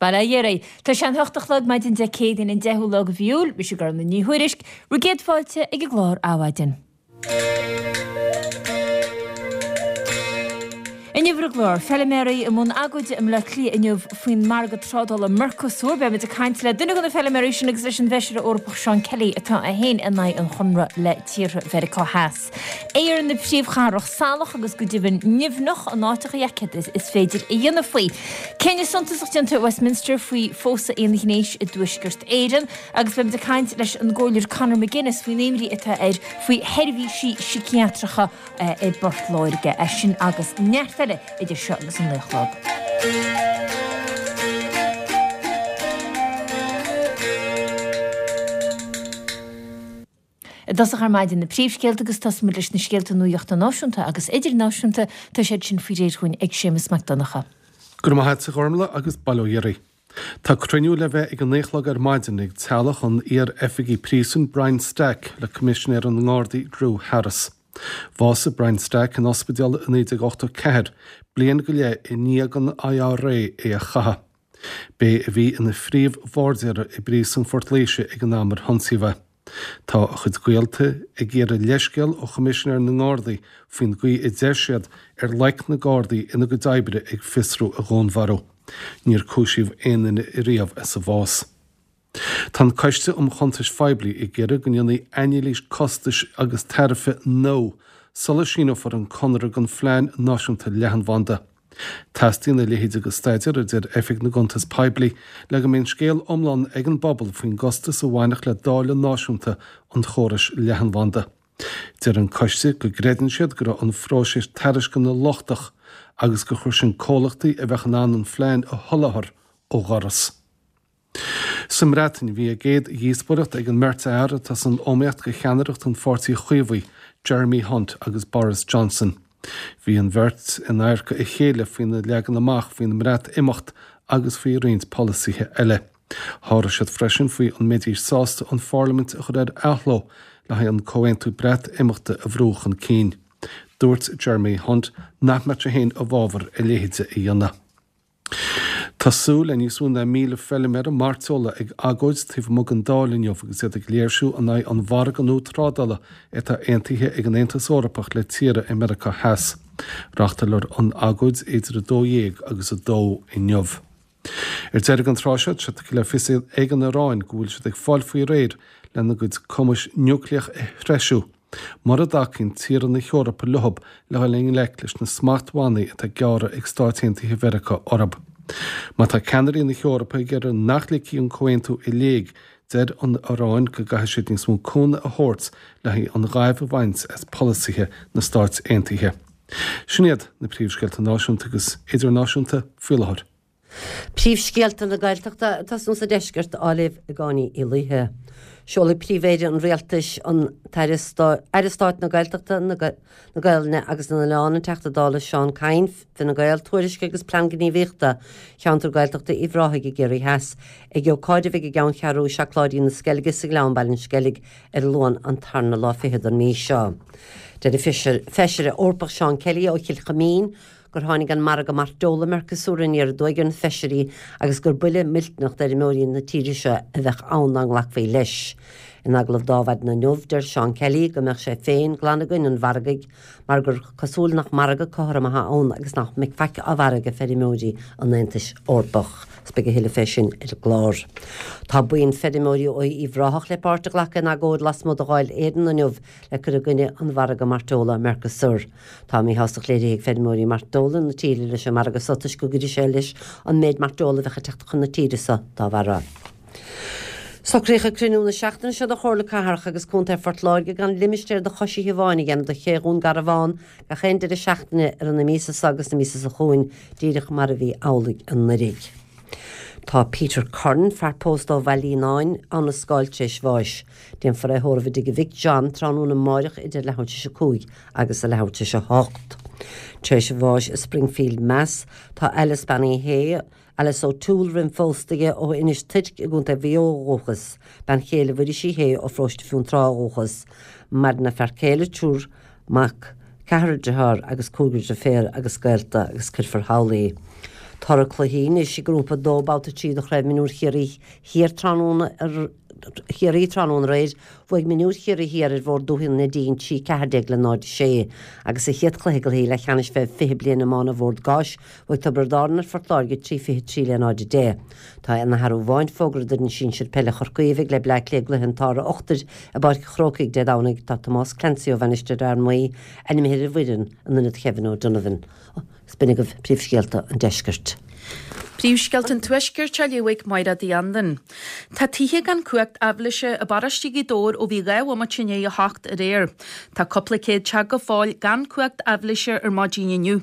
Bail ó Dhia oraibh. Tá sé an hocht a chlog maidin Dé Céadaoin an 10ú lá de mhí Iúil, mise Gormfhlaith Ní Thuairisg, bhur gcéad fáilte ag an gclár Adhmhaidin. Inniu ar an gclár, feiliméaraí i mbun agóide i mBleá Cliath inniu faoin margadh trádála Mercosur. Beimid ag caint le duine de na feiliméaraí sin agus leis an bhFeisire Eorpach Seán Kelly atá é féin in aghaidh an chonradh le tíortha Mheiriceá Theas. Aer na príomhchathrach salach agus go deimhin nimhneach in áiteacha céard is féidir a dhéanamh faoi. Cinneadh suntasach déanta i Westminster faoi phósadh aonghnéis i dTuaisceart Éireann agus beimid ag caint leis an gComhairleoir Conor McGuinness faoin imní atá air faoi sheirbhísí síciatracha i bPort Láirge. É sin agus neart eile idir seo agus an 9 a chlog. I dtosach ar maidin na príomhscéalta agus tosóimid leis na scéalta nuachta náisiúnta agus idirnáisiúnta, tá siad sin faoi réir dhúinn ag Séamus Mac Donncha. Go raibh maith agat a Ghormfhlaith agus bail ó Dhia oraibh. Tá cruinniú le bheith ag a naoi a chlog ar maidin ag teaghlach an iar-oifigigh príosúin Brian Stack le Coimisinéir na nGardaí Drew Harris. Bhásaigh Brian Stack in ospidéal i 1984, bliain go leith i ndiaidh don IRA é a chaitheamh. B'é a bhí ina phríomh-bhairdéara i bpríosún Phort Laoise ag an am ar hionsaíodh é. Tá a chuid gaolta ag iarraidh leithscéal ó Choimisinéir na nGardaí faoin gcaoi a dteip siad ar loic na Gardaí ina gcuid oibre ag fiosrú a dhúnmharú. Níor cúisíodh aon duine ariamh as a bhás. Tá an Coiste um Chuntais Phoiblí ag iarraidh go ndéanfaí anailís costais agus tairbhe nua sula síneofar an conradh don Phlean Náisiúnta Leathanbhanda. Teastaíonn a leithéid de staidéar, a deir Oifig na gCuntas Poiblí, le go mbeidh an scéal iomlán ag an bpobal faoin gcostas a bhainfeadh le dáileadh náisiúnta an chórais leathanbhanda. Deir an coiste go gcreideann siad go raibh an phróiseas tairisceana lochtach agus gur chuir sin comhlachtaí a bheadh in ann an phlean a sholáthar ó dhoras. Sa mBreatain, bhí a gcéad dhíospóireacht ag an mbeirt fhear atá san iomaíocht do cheannaireacht an Pháirtí Chaomhaigh, Jeremy Hunt agus Boris Johnson. Bhí an bheirt in adharca a chéile faoina leagan amach faoin mBreatimeacht agus faoi roinnt polasaithe eile. Sháraigh siad freisin faoi an mbeidís sásta an pharlaimint a chur ar athló le haghaidh an comhaontú Breatimeachta a bhrú chun cinn. Dúirt Jeremy Hunt nach mbeadh sé féin i bhfabhar a leithéide a dhéanamh. Tá súil le níos mó ná 1,000 feiliméara mairteola ag agóid taobh amuigh den Dáil inniu agus iad ag léirsiú in aghaidh an mhargaidh nua trádála atá aontaithe ag an Aontas Eorpach le tíortha i Meiriceá Theas. Reáchtálfar an agóid idir 12 agus 2 inniu. Ar deireadh an tráth seo, tá sé tugtha le fios ag an Iaráin go bhfuil siad ag fáil faoi réir lena gcuid cumais núicléach a threisiú. Mura dtacaíonn tíortha na hEorpa leob le dhul i ngleic leis na smachtbhannaí atá á ngearradh ag Stáit Aontaithe Mheiriceá orthu. Má tá ceannairí na hEorpa ag iarraidh nach ligfí an comhaontú i léig, deir an Iaráin go gcaithfidh siad níos mó cúnamh a thabhairt le haghaidh an ghaimh a bhaint as polasaithe na Stáit Aontaithe. Sin iad na príomhscéalta náisiúnta agus idirnáisiúnta faoi láthair. Príomhscéalta na Gaeltachta ag tosnú sa deisceart á léamh ag Áine Uí Laoithe. Seolfaidh Príomh-Aire an Rialtais, an tAire Stáit na Gaeltachta, na Gaelainne agus na nOileán, an Teachta Dála Seán Kyne, Fine Gael, tuairisc agus Plean Gníomhaíochta Cheantar Gaeltachta Uíbh Ráthaigh i gCiarraí Theas ag ócáid a bheidh i gCeanncheathrú Seacláidí na Sceilge sa Ghleann, Baile an Sceilg, ar an Luan an tarna lá fichead den mhí seo. Deir an Feisire Eorpach Seán Kelly ó Chill Chuimín, gur tháinig an margadh mairteola Mercosur aniar aduaidh ar na feisirí agus gur buille millteanach d'fheirmeoirí na tíre seo a bheadh ann dá nglacfaí leis. In agallamh d'Adhmhaidin inniu, deir Seán Kelly go mbeadh sé féin glan i gcoinne an mhargaidh mar gur cosúil nach margadh cothrom atá ann agus nach mbeidh faic á mhairg ag feirmeoirí an Aontais Eorpach. Is beidh a thuilleadh fé sin ar an gclár. Tá buíon feirmeoirí ó Uíbh Ráthach le páirt a ghlacadh in agóid lasmuigh de Dháil Éireann inniu le cur i gcoinne an mhargaidh mairteola Mercosur. Tá míshástacht léirithe ag feirmeoirí mairteola na tíre leis an margadh so toisc go gcuirfidh sé leis an méid mairteola a bheadh ag teacht chun na tíre so dá bharra. Socraíodh ag cruinniú na seachtaine seo de Chomhairle Cathrach agus Contae Phort Láirge gan limistéar do choisithe amháin a dhéanamh de Ché Dhún Garbhán gach aon deireadh seachtaine i rith na míosa seo agus na míosa seo chugainn, díreach mar a bhí amhlaidh anuraidh. Tá Peter Curran, fear pósta ó Bhaile Fhíonáin, ann a scáil tar éis bháis. Déanfar é a thórramh i dtigh a mhic John tráthnóna amáireach idir leathuair tar éis a 5 agus a leathuair tar éis a 8. Tar éis a bháis i Springfield, Mass. Tá Alice Bean Uí Shé, Alice O'Toole roimh phósta aige ó Inis Toirc i gContae Mhaigh Eo ó dhúchas, bean chéile Mhuiris Uí Shé ó Pharóiste Fionntrá ó dhúchas. Maireann a fear céile, triúr mac, ceathrar dearthár agus cúigear deirféar agus gaolta agus cuirfear thall í. Toradh cluichí anois i nGrúpa 2 Babhta 3 de Chraobh Mionúir Chiarraí Thiar tráthnóna Chiarraí tráthnóna aréir, bhuaigh Mionúir Chiarraí Thiar ar Bhord Dúiche na Neidín 3 14 le 0 6 agus sa chéad chluiche de chluichí leathcheannais fé 20 bliain iomána Bhord Gáis, bhuaigh Tiobraid Árann ar Phort Láirge 3 23 le 0 10. Tá aon athrú amháin fógartha d'fhoireann sinsir peile Chorcaí a bheidh le Bleá Cliath i gcluiche an tSár Ochtair i bPáirc an Chrócaigh Dé Domhnaigh. Tá Tomás Clancy ó Mhainistir Fhear Maí ainmnithe ar an bhfoireann in ionad Kevin O'Donovan. Is b'in agaibh príomhscéalta an deiscirt. Príomhscéalta an Tuaiscirt á léamh ag Máire Uí Anluain. Tá tithe gan cumhacht aibhléise i bparóiste Ghaoth Dobhair ó bhí 2 bhomaite i ndiaidh a hocht aréir. Tá cúpla céad teach go fóill gan cumhacht aibhléise ar maidin inniu.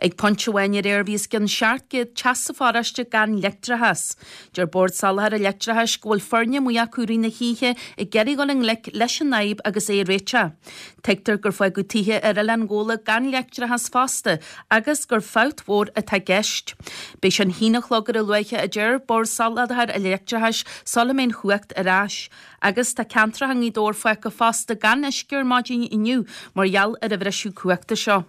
Ag pointe amháin aréir bhí os cionn 700 teach sa pharóiste gan leictreachas. Deir Bord Soláthair an Leictreachais go bhfuil foirne amuigh acu i rith na hoíche ag iarraidh dul i ngleic leis an fhadhb agus é a réiteach. Tuigtear gur fágadh tithe ar Oileán Ghabhla gan leictreachas fosta agus gur fabht mhór atá i gceist. Beidh sé an haon a chlog ar a luaithe a deir Bord Soláthair an Leictreachais sula mbeidh an chumhacht ar ais. Agus tá ceantracha i nGaoth Dobhair fágtha fosta gan uisce ar maidin inniu mar gheall ar an bhriseadh cumhachta seo.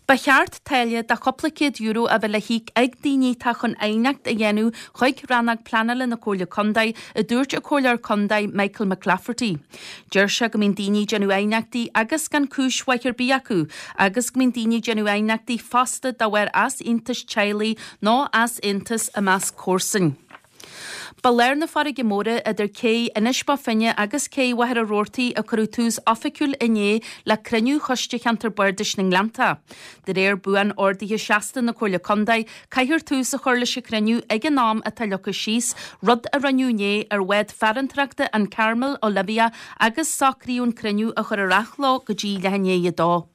Ba cheart táille de chúpla céad euro a bheith le híoc ag daoine atá chun aighneacht a dhéanamh chuig Rannóg Pleanála na Comhairle Contae, a dúirt an Comhairleoir Contae Michael McClafferty. Deir sé go mbíonn daoine ag déanamh aighneachtaí agus gan cúis mhaith ar bith acu agus go mbíonn daoine ag déanamh aighneachtaí fosta de bharr easaontais teaghlaigh nó easaontas i measc comharsan. Ba lár na farraige móire idir cé Inis Bó Finne agus cé Mhachaire Rabhartaigh a cuireadh tús oifigiúil inné le cruinniú Choiste Cheantar Bardais na nGleannta. De réir buan-ordaithe seasta na Comhairle Contae, caithfear tús a chur leis an chruinniú ag an am atá leagtha síos, rud a rinneadh inné ar bhád farantóireachta an Carmel Olivia agus socraíodh an cruinniú a chur ar athló go dtí leath i ndiaidh a dó.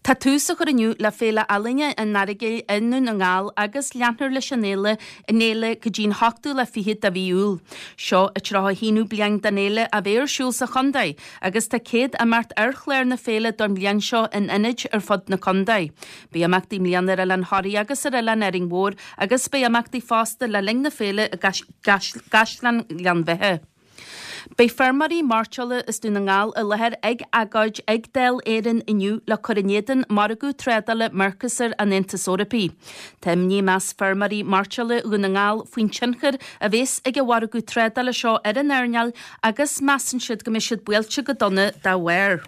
Tá tús á chur inniu le Féile Ealaíne an Earagail i nDún na nGall agus leanfar leis an fhéile an fhéile go dtí an hochtú lá fichead de mhí Iúil. Seo an 31ú bliain don fhéile a bheith ar siúl sa chontae agus tá 100 imeacht ar chlár na féile don bhliain seo in ionaid ar fud na contae. Beidh imeachtaí i mbliana ar Oileán Thoraí agus ar Oileán Árainn Mhór agus beidh imeachtaí fosta le linn na féile i gCaisleán Ghleann Bheatha. Beidh feirmeoirí mairteola as Dún na nGall i láthair ag agóid ag Dáil Éireann inniu le cur in éadan margadh trádála Mercosur an Aontais Eorpaigh. Tá imní i measc feirmeoirí mairteola Dhún na nGall faoin tionchar a bheas ag an mhargadh trádála seo ar an earnáil agus measann siad go mbeidh siad buailte go dona dá bharr.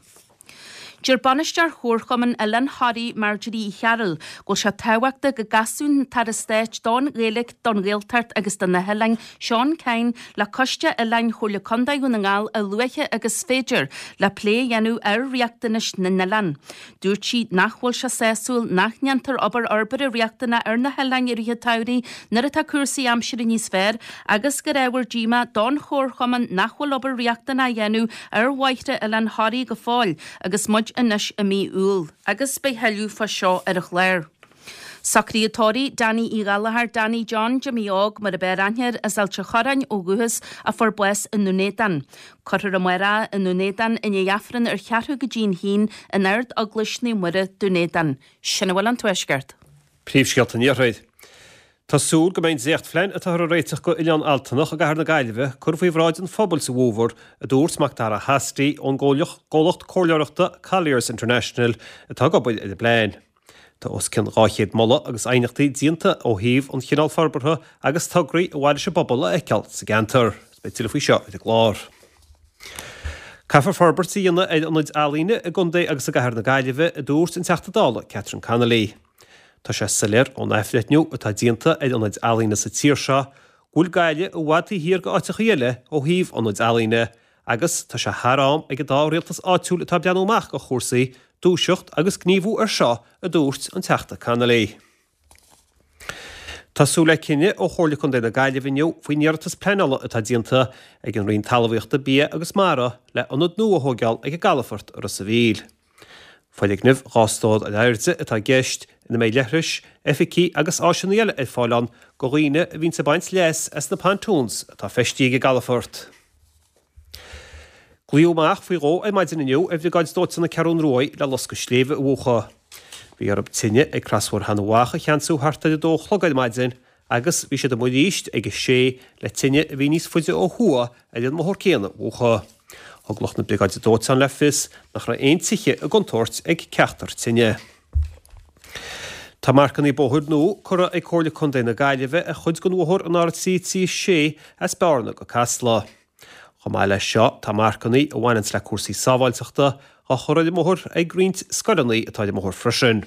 Deir bainisteoir Chomharchumann Oileán Thoraí, Marjorie Uí Chearúil, go bhfuil sé tábhachtach go gcasfadh an tAire Stáit don Ghaeilge, don Ghaeltacht agus do na hOileáin, Seán Kyne, le Coiste Oileáin Chomhairle Contae Dhún na nGall a luaithe agus is féidir le plé a dhéanamh ar riachtanais na n-oileán. Dúirt sí nach bhfuil sé sásúil nach ndéantar obair fhorbartha riachtanach ar na hoileáin i rith an tsamhraidh nuair atá cúrsaí aimsire níos fearr agus gur ábhar díomá don chomharchumann nach bhfuil obair riachtanach á dhéanamh ar bhóithre Oileán Thoraí go fóill agus muid anois i mí Iúil agus beidh thuilleadh fá seo ar an chlár. Socraíodh tórraimh Danny Uí Ghallchóir, Danny John Jimmy Óg mar ab fhearr aithne air, as Ailt an Chorráin ó dhúchas a fuair bás i nDún Éideann. Cuirfear amárach i nDún Éideann i ndiaidh Aifreann ar cheathrú go dtí'n haon in Ard Eaglais Naomh Muire, Dún Éideann. Sin a bhfuil ón Tuaisceart. Príomhscéalta an Iarthair. Tá súil go mbeidh an dréachtphlean atáthar a réiteach go Oileán Altanach i gcathair na Gaillimhe curtha faoi bhráid an phobail sa bhfómhar, a dúirt Macdara Hastie ón gcomhlacht comhairleoireachta Colliers International atá ag obair ar an bplean. Tá os cionn 200 moladh agus aighneachtaí déanta ó thaobh an chineál forbartha agus tograí ar mhaith leis an bpobal a fheiceáil sa gceantar. Beidh tuilleadh faoi seo ar an gclár. Caithfear forbairt a dhéanamh ar ionaid ealaíne i gcontae agus i gcathair na Gaillimhe, a dúirt an Teachta Dála Catherine Connolly. Tá sé soiléir ón athbhreithniú atá déanta ar ionaid ealaíne sa tír seo go bhfuil Gaillimh i bhfad taobh thiar d'áiteachaí eile ó thaobh ionaid ealaíne agus tá sé thar am ag an dá rialtas áitiúil atá ag breathnú amach do chúrsaí dúiseacht agus gníomhú ar seo, a dúirt an Teachta Connolly. Tá súil le cinneadh ó Chomhairle Contae na Gaillimhe inniu faoin iarratas pleanála atá déanta ag an Roinn Talmhaíochta, Bia agus Mara le ionad nua a thóigeáil ag an gcalafort i Ros a' Mhíl. Foirgneamh 2 stór ar airde atá i gceist, ina mbeidh leithris, oifigí agus áiseanna eile ar fáil ann do dhaoine a bhíonns ag baint leas as na pontoons atá feistithe ag an gcalafort. Glaodh amach faoi dhó ar maidin inniu ar Bhriogáid Dóiteáin na Ceathrún Ruaidh le loscadh sléibhe a mhúchadh. Bhí orthu tine ag Crosbhóthar Sheanadh Mhacha a cheansú thart ar a dó a chlog ar maidin agus bhí siad amuigh arís ag a sé le tine a bhí níos faide ó thuaidh ar an mbóthar céanna a mhúchadh. Thug lucht na Briogáide Dóiteáin le fios nach raibh aon tithe i gcontúirt ag ceachtar tine. Tá marcannaí bóthair nua curtha ag Comhairle Contae na Gaillimhe ar chuid den bhóthar an R336 as Bearna go Casla. Chomh maith leis seo, tá marcannaí a bhaineanns le cúrsaí sábháilteachta á chur ar an mbóthar ag roinnt scoileanna atá ar an mbóthar freisin.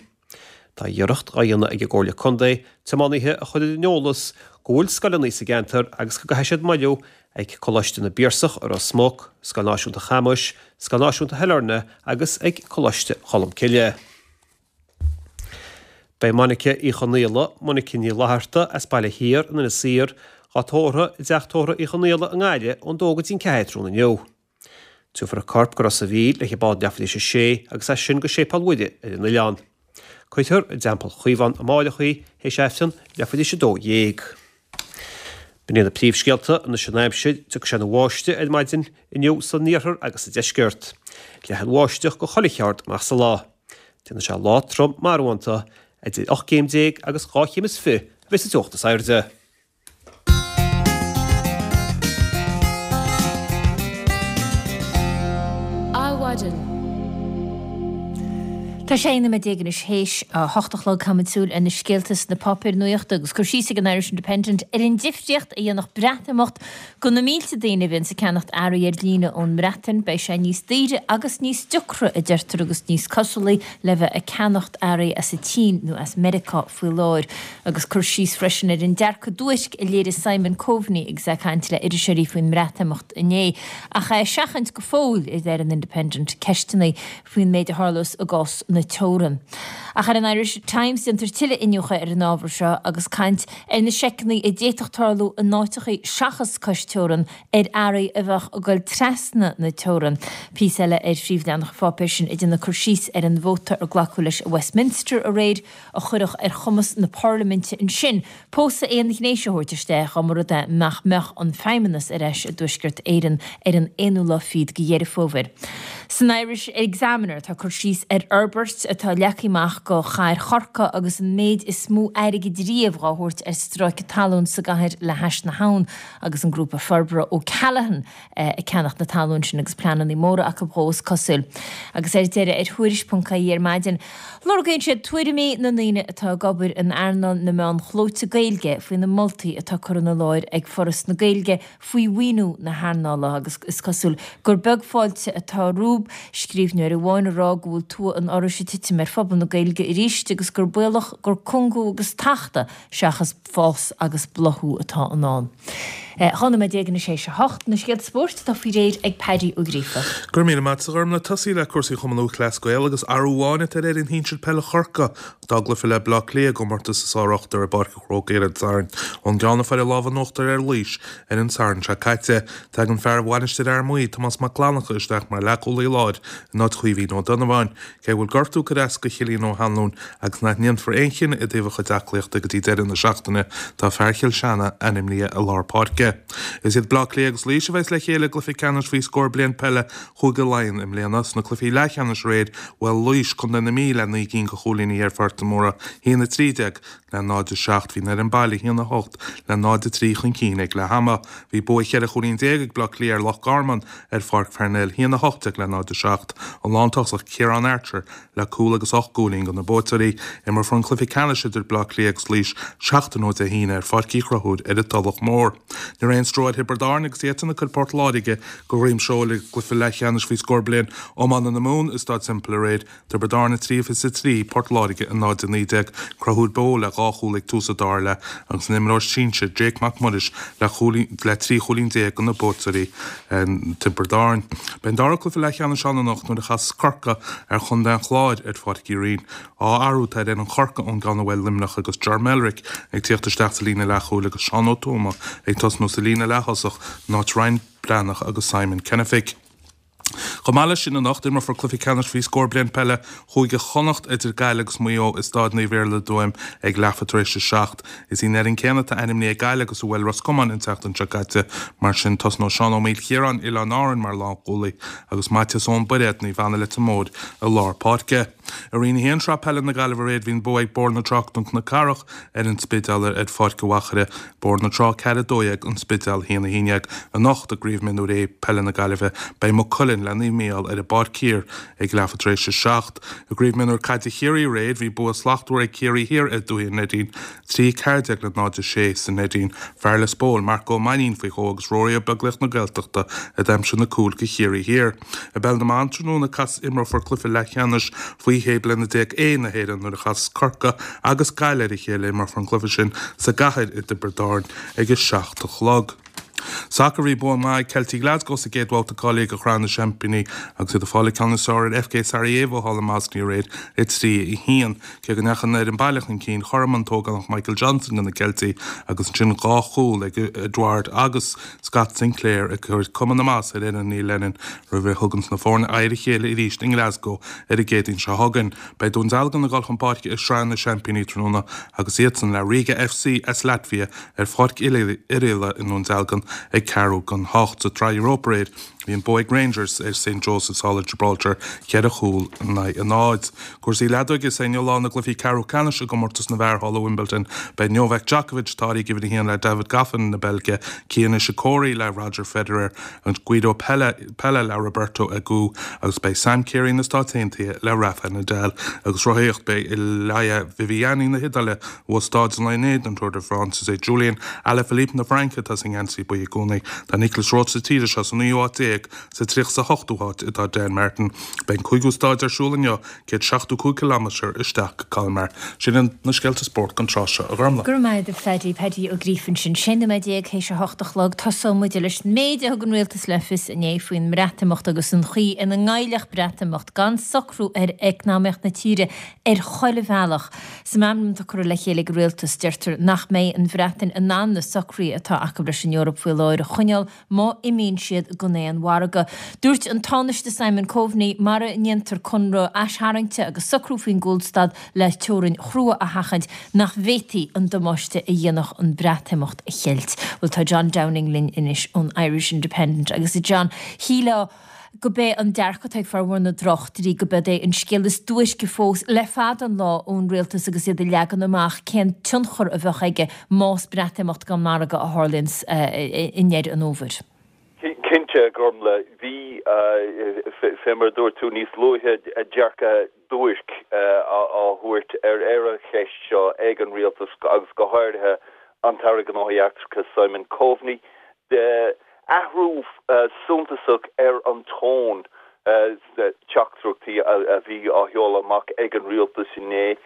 Tá iarracht á dhéanamh ag an gComhairle Contae tiománaithe a chur ar an eolas go bhfuil scoileanna sa gceantar agus go gcaithfidh siad moilliú ag Coláiste na bPiarsach i Ros Muc, Scoil Náisiúnta Chamuis, Scoil Náisiúnta Shailearna agus ag Coláiste Cholmcille. Beidh Monica Uí Chonaola, Monica Ní Fhlatharta, as Baile Thiar in Inis Oírr, dhá tórramh i dTeach Tórraimh Uí Chonaola i nGaillimh ón dó go dtí an 4 tráthnóna inniu. Tabharfar a corp go Ros a' Mhíl le bád leathuair tar éis a sé agus as sin go Séipéal Mhuire ar an oileán. Cuirfear i dTeampall Chaomhán amáireach í théis Aifreann leathuair tar éis a 12. B'in iad na príomhscéalta anois an aimsir, tiocfaidh sé ina bháisteach ar maidin inniu san iarthar agus sa deisceart. Leathfaidh an bháisteach go chuile cheard amach sa lá. Déanfaidh sé lá trom marbhánta, idir 18 céim agus 2 chéim is 20 a bheidh sa teocht is airde. Adhmhaidin. Tá 16 nóiméad anois théis a hocht a chlog. Caithfimid súil ar na scéalta sna páipéir nuachta agus cur síos ag an Irish Independent ar an difríocht a dhéanfadh Breatimeacht do na mílte daoine a bhíonns ag ceannacht earraí ar líne ón mBreatain. Beidh sé níos daoire agus níos diocra, a deirtear, agus níos cosúlaí le bheith ag ceannacht earraí as an tSín nó as Meiriceá faoi láthair. Agus cur síos freisin ar an dearcadh duairc a léirigh Simon Coveney agus é ag caint le iriseoirí faoin mBreatimeacht inné. Ach é ag seachaint go fóill, a deir an Independent, ceisteanna faoin méid a tharlós i gcás na teorann. Ach ar an Irish Times déantar tuilleadh iniúchadh ar an ábhar seo agus caint ar na seiceanna a d'fhéadfadh tarlú in áiteachaí seachas cois teorann ar earraí a bheadh ag goil trasna na teorann. Píosa eile ar phríomhleathanach an pháipéir sin ag déanamh cur síos ar an vóta ar glacadh leis i Westminster aréir a chuirfeadh ar chumas na parlaiminte ansin pósadh aon-ghnéis a thabhairt isteach dá mba rud é nach mbeadh an Feidhmeannas ar ais i dTuaisceart Éireann ar an aonú lá fichead de Dheireadh Fómhair. San Irish Examiner tá cur síos ar fhorbairt atá leagtha amach do chathair Chorcaí agus an méid is mó airgid riamh dhá thabhairt ar stráice talún sa gcathair le hais na habhann agus an grúpa forbartha O'Callaghan ag ceannacht na talún sin agus pleananna móra acu dhó is cosúil. Agus ar deireadh ar Thuairisc.ie ar maidin, lorgaíonn siad tuairimí na ndaoine atá ag obair in earnáil na meán clóite Gaeilge faoi na moltaí atá curtha ina láthair ag Foras na Gaeilge faoi mhaoiniú na hearnála agus is cosúil gur beag fáilte atá rompu, scríbhneoir amháin ag rá go bhfuil tua an Fhorais ag titim ar phobal na Gaeilge arís agus gur baolach gur cúngú agus tachtadh seachas fás agus bláthú atá i ndán. 12 nóiméad anois théis a hocht, na scéalta spóirt atá faoi réir ag Paddy Ó Gríofa. Go raibh míle maith agat a Ghormlaith. Tosaí le cúrsaí Chumann Lúthchleas Gael agus athrú amháin atá ar fhoireann shinsir peile Chorcaí dá gcluiche le Bleá Cliath i gcomórtas an tSár-Ochtair i bPáirc an Chrócaigh ar an Satharn ón gceann a fuair an lámh in uachtar ar Laois ar an Satharn seo caite. Tagann fear Mhainistir Fhear Maí, Tomás Mac Fhlannchadha isteach mar leathchúlaí láir in áit Chaoimhín Ó Donnabháin. Cé go bhfuil gortú curtha as do Chillian Ó hAnluain agus nach ndéanfar aon chinneadh i dtaobh a chuid aclaíochta go dtí deireadh na seachtaine, tá fear Chill Seanaidh ainmnithe i lár páirce. Is iad Bleá Cliath agus Laois a bheas le chéile i gcluiche ceannais faoi scór bliain peile Chúige Laighean i mbliana. Sna cluichí leathcheannais aréir, bhuail Laois, Contae na Mí le 9 gcinn de chúilíní ar Phort an Mhórdha, 1-13 le 0-7. Bhí an fhoireann baile 1-8 le 0-3 chun cinn ag leath ama. Bhí bua cheithre chúilín déag ag Bleá Cliath ar Loch Garman ar Pháirc Pharnell, 1-18 le 0-7. An lántosach Ciarán Archer le cúl agus 8 gcúilín do na buaiteoirí. Imreofar an cluiche ceannais idir Bleá Cliath agus Laois seachtain ó Dé hAoine ar Pháirc Uí Chonchúir ar an Tulach Mhór. Ní raibh aon stró ar Thiobraid Árann agus iadsan ag cur Port Láirge de dhroim seoil i gcluiche leathcheannais faoi scór bliain iomána na Mumhan i Staid Semple aréir. Tiobraid Árann 3-23, Port Láirge 0-19, Conchúr Beo le dhá chúl ag tús an dara leath agus an imreoir sinsir Jake Mac Muiris le le 13 chúilín do na buaiteoirí Tiobraid Árann. Beidh an dara cluiche leathcheannais ann anocht nuair a chasas Corcaigh ar chontae an Chláir ar Pháirc Uí Rinn. Dhá athrú atá ar fhoireann Chorcaí ón gceann a bhuail Luimneach agus Ger Melrick ag tíocht isteach sa líne leathchúil agus Seán Ó Tuama ag tosnú sa líne leath-thosach in áit Ryan Breathnach agus Simon Kennefick. Chomh maith leis sin anocht, imreofar cluiche ceannais faoi scór bliain peile Chúige Chonnacht idir Gaillimh agus Maigh Eo i Stáid Naomh Iarlaith i dTuaim ag leathuair tar éis a 7. Is í an fhoireann céanna atá ainmnithe ag Gaillimh agus a bhuail Ros Comáin an tseachtain seo caite. Mar sin, tosnóidh Seán Ó Maoilchiaráin, Oileáin Árann, mar lánchúlaí agus Maitias Eoin Bairéad, Naomh Anna Leitir Móir, i lár páirce. I Roinn 1, Sraith Peile na Gaillimhe aréir, bhí an bua ag Bóthar na Trá Cnoc na Cathrach ar an Spidéal ar Pháirc an Mhachaire, Bóthar na Trá 4, 12, An Spidéal 1, 11. Anocht i gCraobh Mionúir A Peile na Gaillimhe beidh Maigh Cuilinn le Naomh Mícheál ar an bPáirc Thiar ag leathuair tar éis a 7. I gCraobh Mionúir Caide Chiarraí aréir bhí bua slachtmhar ag Ciarraí Thiar ar Dúiche na Neidín, 3, 14 le 0, 6 sa Neidín. Fear Lios Póil, Marc Ó Mainnín faoi dhó agus Rory Ó Beaglaoich na Gaeltachta a d'aimsigh na cúil do Chiarraí Thiar. I bPeil na mBan tráthnóna cas imreofar cluiche leathcheannais faoi 16 bliana A na hÉireann nuair a chasas Corcaigh agus Gaillimh ar a chéile. Imreofar an cluiche sin sa gcathair i dTiobraid Árann ag a 7 a chlog. Sacar Bhí bua maith ag Ceiltigh Glasgow sa gcéad bhabhta cáilithe do Shraith na Seaimpíní agus iad ag fáil an ceann is fearr ar FK Sarajevo thall i mBosnia aréir, 3, 1. Cé go ndeachaigh an fhoireann baile chun cinn, chothromaigh an t-ógánach Michael Johnson do na Ceiltigh agus ansin dhá chúl ag Edouard agus Scott Sinclair ag cur cuma na maitheasa ar fhoireann Neil Lennon roimh a thuganns na foirne aghaidh ar a chéile arís i nGlasgow ar an gCéadaoin seo chugainn. Beidh Dún Dealgan ag dul chun páirce i Sraith na Seaimpíní tráthnóna agus iadsan le Riga FC as Laitvia ar Pháirc Oirialla i nDún Dealgan ag ceathrú don hocht. Sa tSraith Europa aréir, bhí an bua ag Rangers ar St Joseph's thall i Gibraltar, cheithre chúl in aghaidh a náid. Cúrsaí leadóige Is é inniu lá na gcluichí ceathrú ceannais i gcomórtas na bhfear thall i Wimbledon. Beidh Novak Djokovic, atá ag uimhir a haon, le David Goffin na Beilge, Kei Nishikori le Roger Federer, agus Guido Pella, Pella le Roberto Agut agus beidh Sam Querrey na Stáit Aontaithe le Rafa Nadal. Agus rothaíocht, Beidh Elia Viviani na hIodáile a bhuaigh stáid an lae inné don Tour de France. Is é Julian Alaphilippe na Fraince atá sa ngeansaí buí i gcónaí. Tá Nicolas Roche sa tíre seo sa naoú háit déag, sa 38ú háit atá Dan Martin. Beidh an cúigiú stáid ar siúl inniu, 175 cileámeter isteach go Colmar. Sin iad na scéalta spóirt don tráth seo, a Ghormlaith. Go raibh maith agat a Phaddy, Paddy Ó Gríofa ansin. 16 nóiméad théis a hocht a chlog. Tosóidh muid leis an méid a thug an Rialtas le fios inné faoin mBreatimeacht agus an chaoi ina ngoillfeadh Breatimeacht gan socrú ar eacnamaíocht na tíre ar chuile bhealach. Sa mheamram atá curtha le chéile ag an Rialtas, deirtear nach mbeidh an Bhreatain in ann na socruithe atá acu leis an Eoraip faoi láthair a choinneáil má imíonn siad den aon mhargadh. Dúirt an Tánaiste Simon Coveney, mara ndéantar conradh aistarraingte agus socrú faoin gcúlstad le teorainn chrua a sheachaint, nach bhféadfaí an damáiste a dhéanfadh an Breatimeacht a cheilt. Bhuel, tá John Downing linn anois ón Irish Independent agus a John, shílfeá go b'é an dearcadh atá ag formhór na dtráchtairí go b'eod é an scéal is duairce fós le fada an lá ón rialtas agus iad ag leagan amach cén tionchar a bheadh aige más Breatimeacht gan margadh a tharlaíonn i ndeireadh an fhómhair. Cinnte, a Ghormlaith, bhí, fé mar a dúirt tú níos luaithe, dearcadh duairc á thabhairt ar an cheist seo ag an rialtas agus go háirithe an tAire Gnóthaí Eachtracha Simon Coveney. Athrú suntasach ar an tón sna teachtaireachtaí a bhí á sheoladh amach ag an rialtas inné.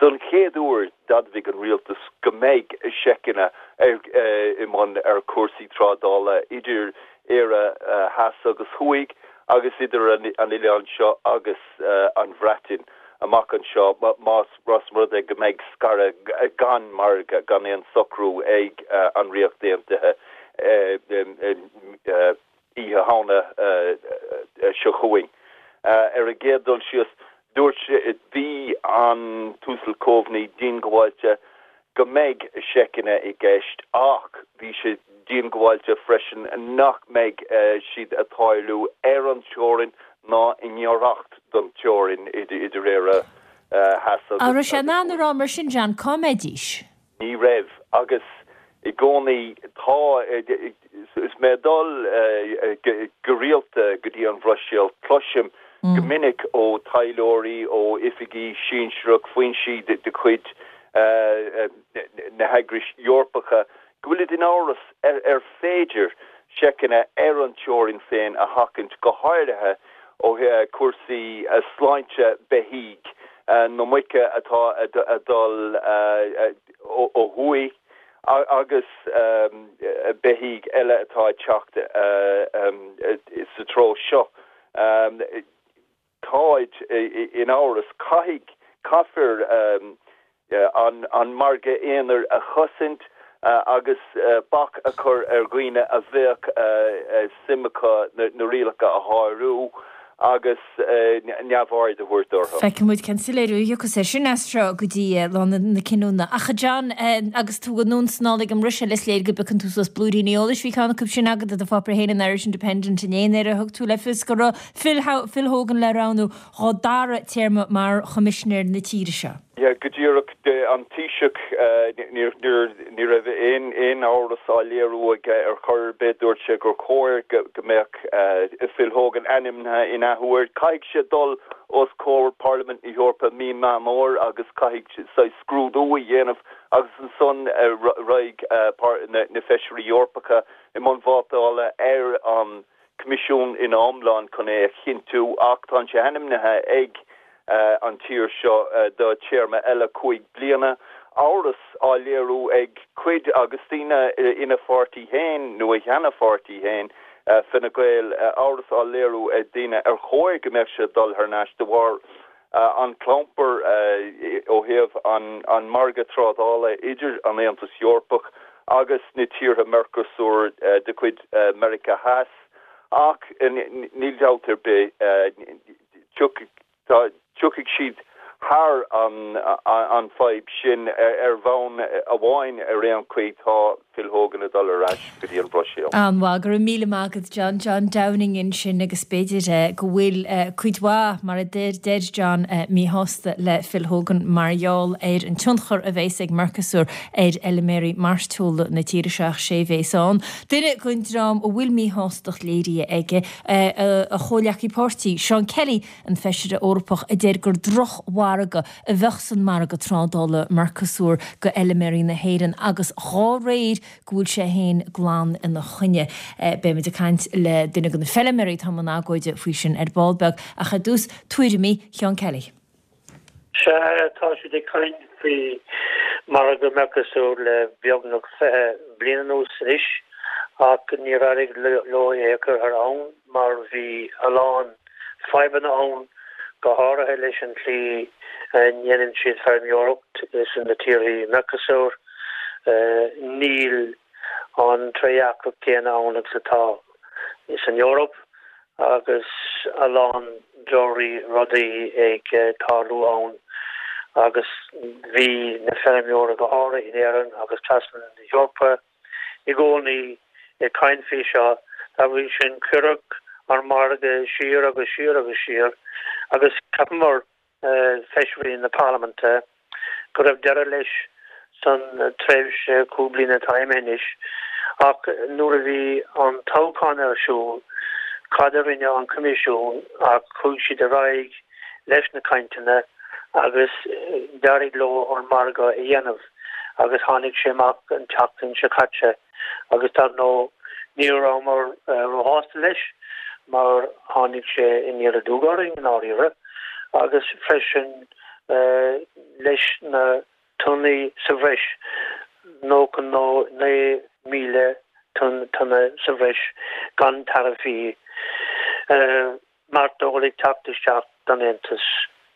Don chéad uair d'admhaigh an rialtas go mbeidh seiceanna i mbun ar chúrsaí trádála idir Éire theas agus thuaidh agus idir an oileán seo agus an Bhreatain amach anseo más rud é go mbeidh scaradh gan margadh, gan aon socrú ag an Ríocht Aontaithe Oíche Shamhna seo chugainn. Ar an gcéad dul síos, dúirt sé, bhí an tUasal Coveney diongbháilte go mbeidh seiceanna i gceist ach bhí sé diongbháilte freisin nach mbeidh siad ag tarlú ar an teorainn ná i ngiorracht don teorainn idir Éire Theas agus An raibh sé in ann a rá mar sin, John, cá mbeidís? Ní raibh, agus i gcónaí tá, is mé ag dul go rialta go dtí an Bhruiséil, cloisim go minic ó taidhleoirí, ó oifigigh sinsearach, foinsí de chuid na heagrais Eorpacha, go bhfuilid in amhras ar féidir seiceanna ar an teorainn féin a sheachaint, go háirithe ó thaobh cúrsaí sláinte beithígh, na muice atá ag dul ó thuaidh agus beithígh eile atá ag teacht sa treo seo. Táid in amhras. Caithfidh, caithfear an margadh aonair a chosaint agus bac a chur ar dhaoine a bheadh suim acu na rialacha a shárú. Agus neamhaird a thabhairt orthu. Feicfidh muid cén soiléiriú a thiocfas air sin as seo go dtí lá na cinniúna. Ach a John, agus tú anonn 's anall ag an mBruiséil, is léir go bpiocann tú suas blúiríní eolais. Bhí ceann acu sin agat i do pháipéar féin, an Irish Independent inné, nuair a thug tú le fios go raibh Phil Phil Hogan le roghnú dhá dara téarma mar Choimisinéir na tíre seo. Yeah, go díreach. An Taoiseach, ní raibh aon amhras á léiriú aige ar chor ar bith. Dúirt sé gur chóir go mbeadh Phil Hogan ainmnithe in athuair. Caithfidh sé dul os comhair Parlaimint na hEorpa mí Meán Fómhair agus caithfidh saghas scrúdú a dhéanamh agus ansan raghaidh na Feisirí Eorpacha i mbun vótála ar an Coimisiún ina iomlán chun é a chinntiú ach tá sé ainmnithe ag an tír seo do téarma eile 5 bliana. Amhras á léiriú ag cuid agus daoine ina pháirtí féin nó a sheana-pháirtí féin, Fine Gael, amhras á léiriú ag daoine ar chóir go mbeadh sé ag dul thar n-ais de bharr an clampar ó thaobh an margadh trádála idir an Aontas Eorpach agus na tíortha Mercosur de chuid Meiriceá Theas ach níl dabht ar bith tiocfaidh siad thar an fadhb sin ar bhonn amháin ar aon chaoi tá Phil Hogan ag dul ar ais go dtí an Bhruiséil. An-mhaith. Go raibh míle maith agat John. John Downing ansin agus b'fhéidir go bhfuil cuid mhaith, mar a deir John, míshásta le Phil Hogan mar gheall ar an tionchar a bheas ag Mercosur ar fheilméaraí mairteola na tíre seo ach sé bhéas ann. Duine den dream a bhfuil míshástacht léirithe aige, a chomhghleacaí páirtí, Seán Kelly, an Feisire Eorpach a deir gur drochmhargadh a bheadh san margadh trádála Mercosur go fheilméaraí na hÉireann agus dhá réir go bhfuil sé féin glan ina choinne. Beimid ag caint le duine de na feilméaraí atá i mbun agóide faoi sin ar ball beag ach ar dtús tuairimí Sheán Kelly. Sea, tá siad ag caint faoi mhargadh Mercosur le beagnach 20 bliain anuas anois ach níor éirigh leo é a chur thar ann mar bhí a lán fadhbanna ann, go háirithe leis an tslí a ndéanann siad feirmeoireacht sna tíorthaí Mercosur. Níl an trédhearcacht céanna ann agus atá san Eoraip agus a lán drochrudaí ag tarlú ann agus bhí na feirmeoirí go háirithe in Éirinn agus trasna na hEorpa i gcónaí ag caint faoi seo. Dá bhrí sin cuireadh an margadh siar agus siar agus siar agus cheapamar feisirí na Parlaiminte go raibh deireadh leis san tréimhse 5 bliana atá imithe anois ach nuair a bhí an toghchán ar siúl cad a rinne an Coimisiún ach chuaigh siad ar aghaidh leis na cainteanna agus d'éirigh leo an margadh a dhéanamh agus tháinig sé amach an tseachtain seo caite. Agus dar ndóigh ní rabhamar róshásta leis mar tháinig sé aniar aduaidh orainn i ndáiríre agus freisin leis na tonnaí sa bhreis, 99,000 tonna sa bhreis gan taraifí mairteola ag teacht isteach don Aontas.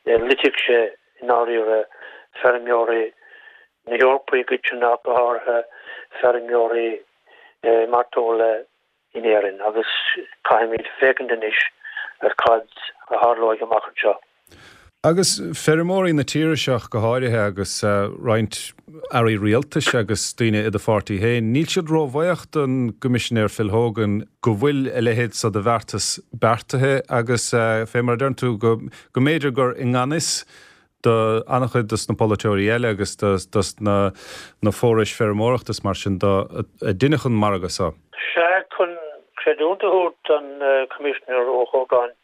Loitfeadh sé i ndáiríre feirmeoirí na hEorpa i gcoitinne ach go háirithe feirmeoirí mairteola in Éirinn agus caithfimid féachaint anois ar cad a tharlóidh amach anseo. Agus feirmeoirí na tíre seo go háirithe agus roinnt airí rialtais agus daoine i do pháirtí féin, níl siad róbhuíoch don gCoimisinéir Phil Hogan go bhfuil a leithéid so de bheartas beartaithe agus fé mar a deireann tú go mb'fhéidir gur i ngan fhios do an-chuid dos na polaiteoirí eile agus dos na na forais feirmeoireachta is mar sin do a deineadh an margadh so. Sea, chun creidiúint a thabhairt don Choimisinéir Ó hÓgáin,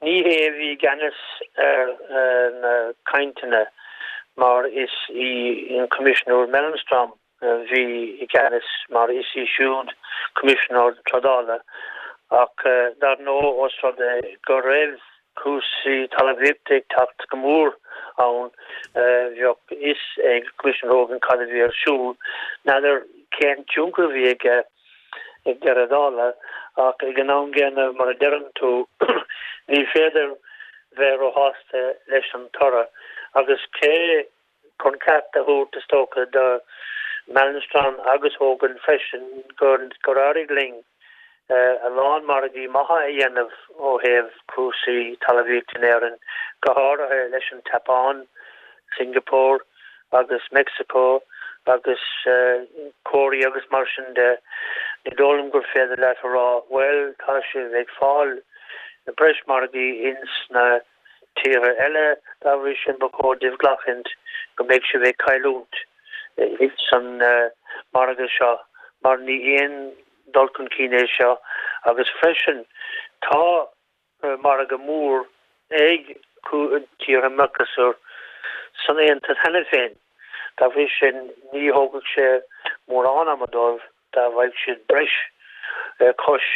ní hé a bhí i gceannas ar na cainteanna mar is í an Coimisinéir Malmström a bhí i gceannas mar is í siúd Coimisinéir Trádála ach dar ndóigh os rud é go raibh cúrsaí talmhaíochta ag teacht go mór ann bheadh a fhios ag Coimisinéir Hogan cad a bhí ar siúl. N'fheadar cén tionchar a bhí aige ag deireadh dála ach ag an am gcéanna mar a deireann tú ní féidir bheith róshásta leis an toradh agus cé Chun ceart a thabhairt, is dócha, do Malmström agus Hogan freisin gur éirigh linn. a lán margaí maithe a dhéanamh ó thaobh cúrsaí talmhaíochta in Éirinn, go háirithe leis an tSeapáin, Singapore agus Mexico agus Cóiré agus mar sin de. Ní dóigh liom gur féidir leat a rá, bhuel, tá sibh ag fáil breis margaí ins na tíortha eile, dá bhrí sin ba chóir daoibh glacaint go mbeidh sibh ag cailliúint ins an margadh seo mar ní aon dul chun cinn é seo agus freisin tá margadh mór ag tíortha Mercosur san Aontas cheana féin. Dá bhrí sin ní thógfadh sé mórán ama dóibh dá bhfaigheadh siad breis cois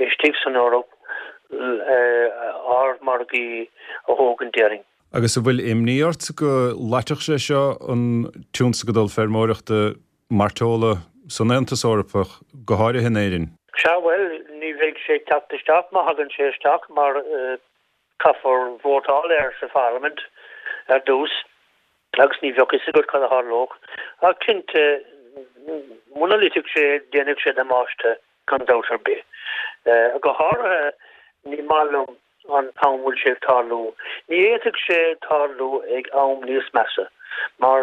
istigh san Eoraip ár margaí a thógaint déarfainn. Agus an bhfuil imní ort go loitfeadh sé seo an tionscadal feirmeoireachta mairteola san Aontas Eorpach, go háirithe in Éirinn? Sea, bhuel, ní bheidh sé ag teacht isteach má thagann sé isteach mar caithfear vótáil air sa pharlaimint ar dtús agus ní bheadh fhios agat cad a tharlódh. Ach cinnte, muna loitfeadh sé, déanfadh sé damáiste gan dabht ar bith. Go háirithe, ní maith liom an t-am bhfuil sé ag tarlú. Ní fhéadfadh sé tarlú ag am níos measa, mar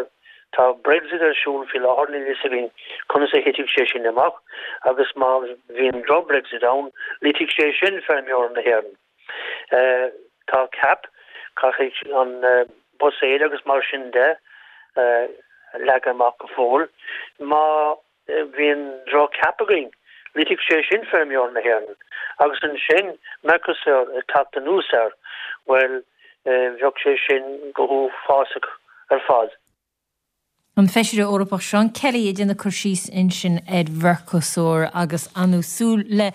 tá Brexit ar siúl faoi láthair, níl fhios againn conas a thitfidh sé sin amach, agus má bhíonn droch-Brexit ann, loitfidh sé sin feirmeoirí na hÉireann. Tá CAP, caithfidh an buiséad agus mar sin de a leagan amach go fóill. Má bhíonn droch-CAP againn, loitfidh sé sin feirmeoirí na hÉireann. Agus ansin Mercosur ag teacht anuas air, bhuel, bheadh sé sin go huafásach ar fad. An Feisire Eorpach Seán Kelly ag déanamh cur síos ansin ar Mhercosur agus ar ndóigh súil le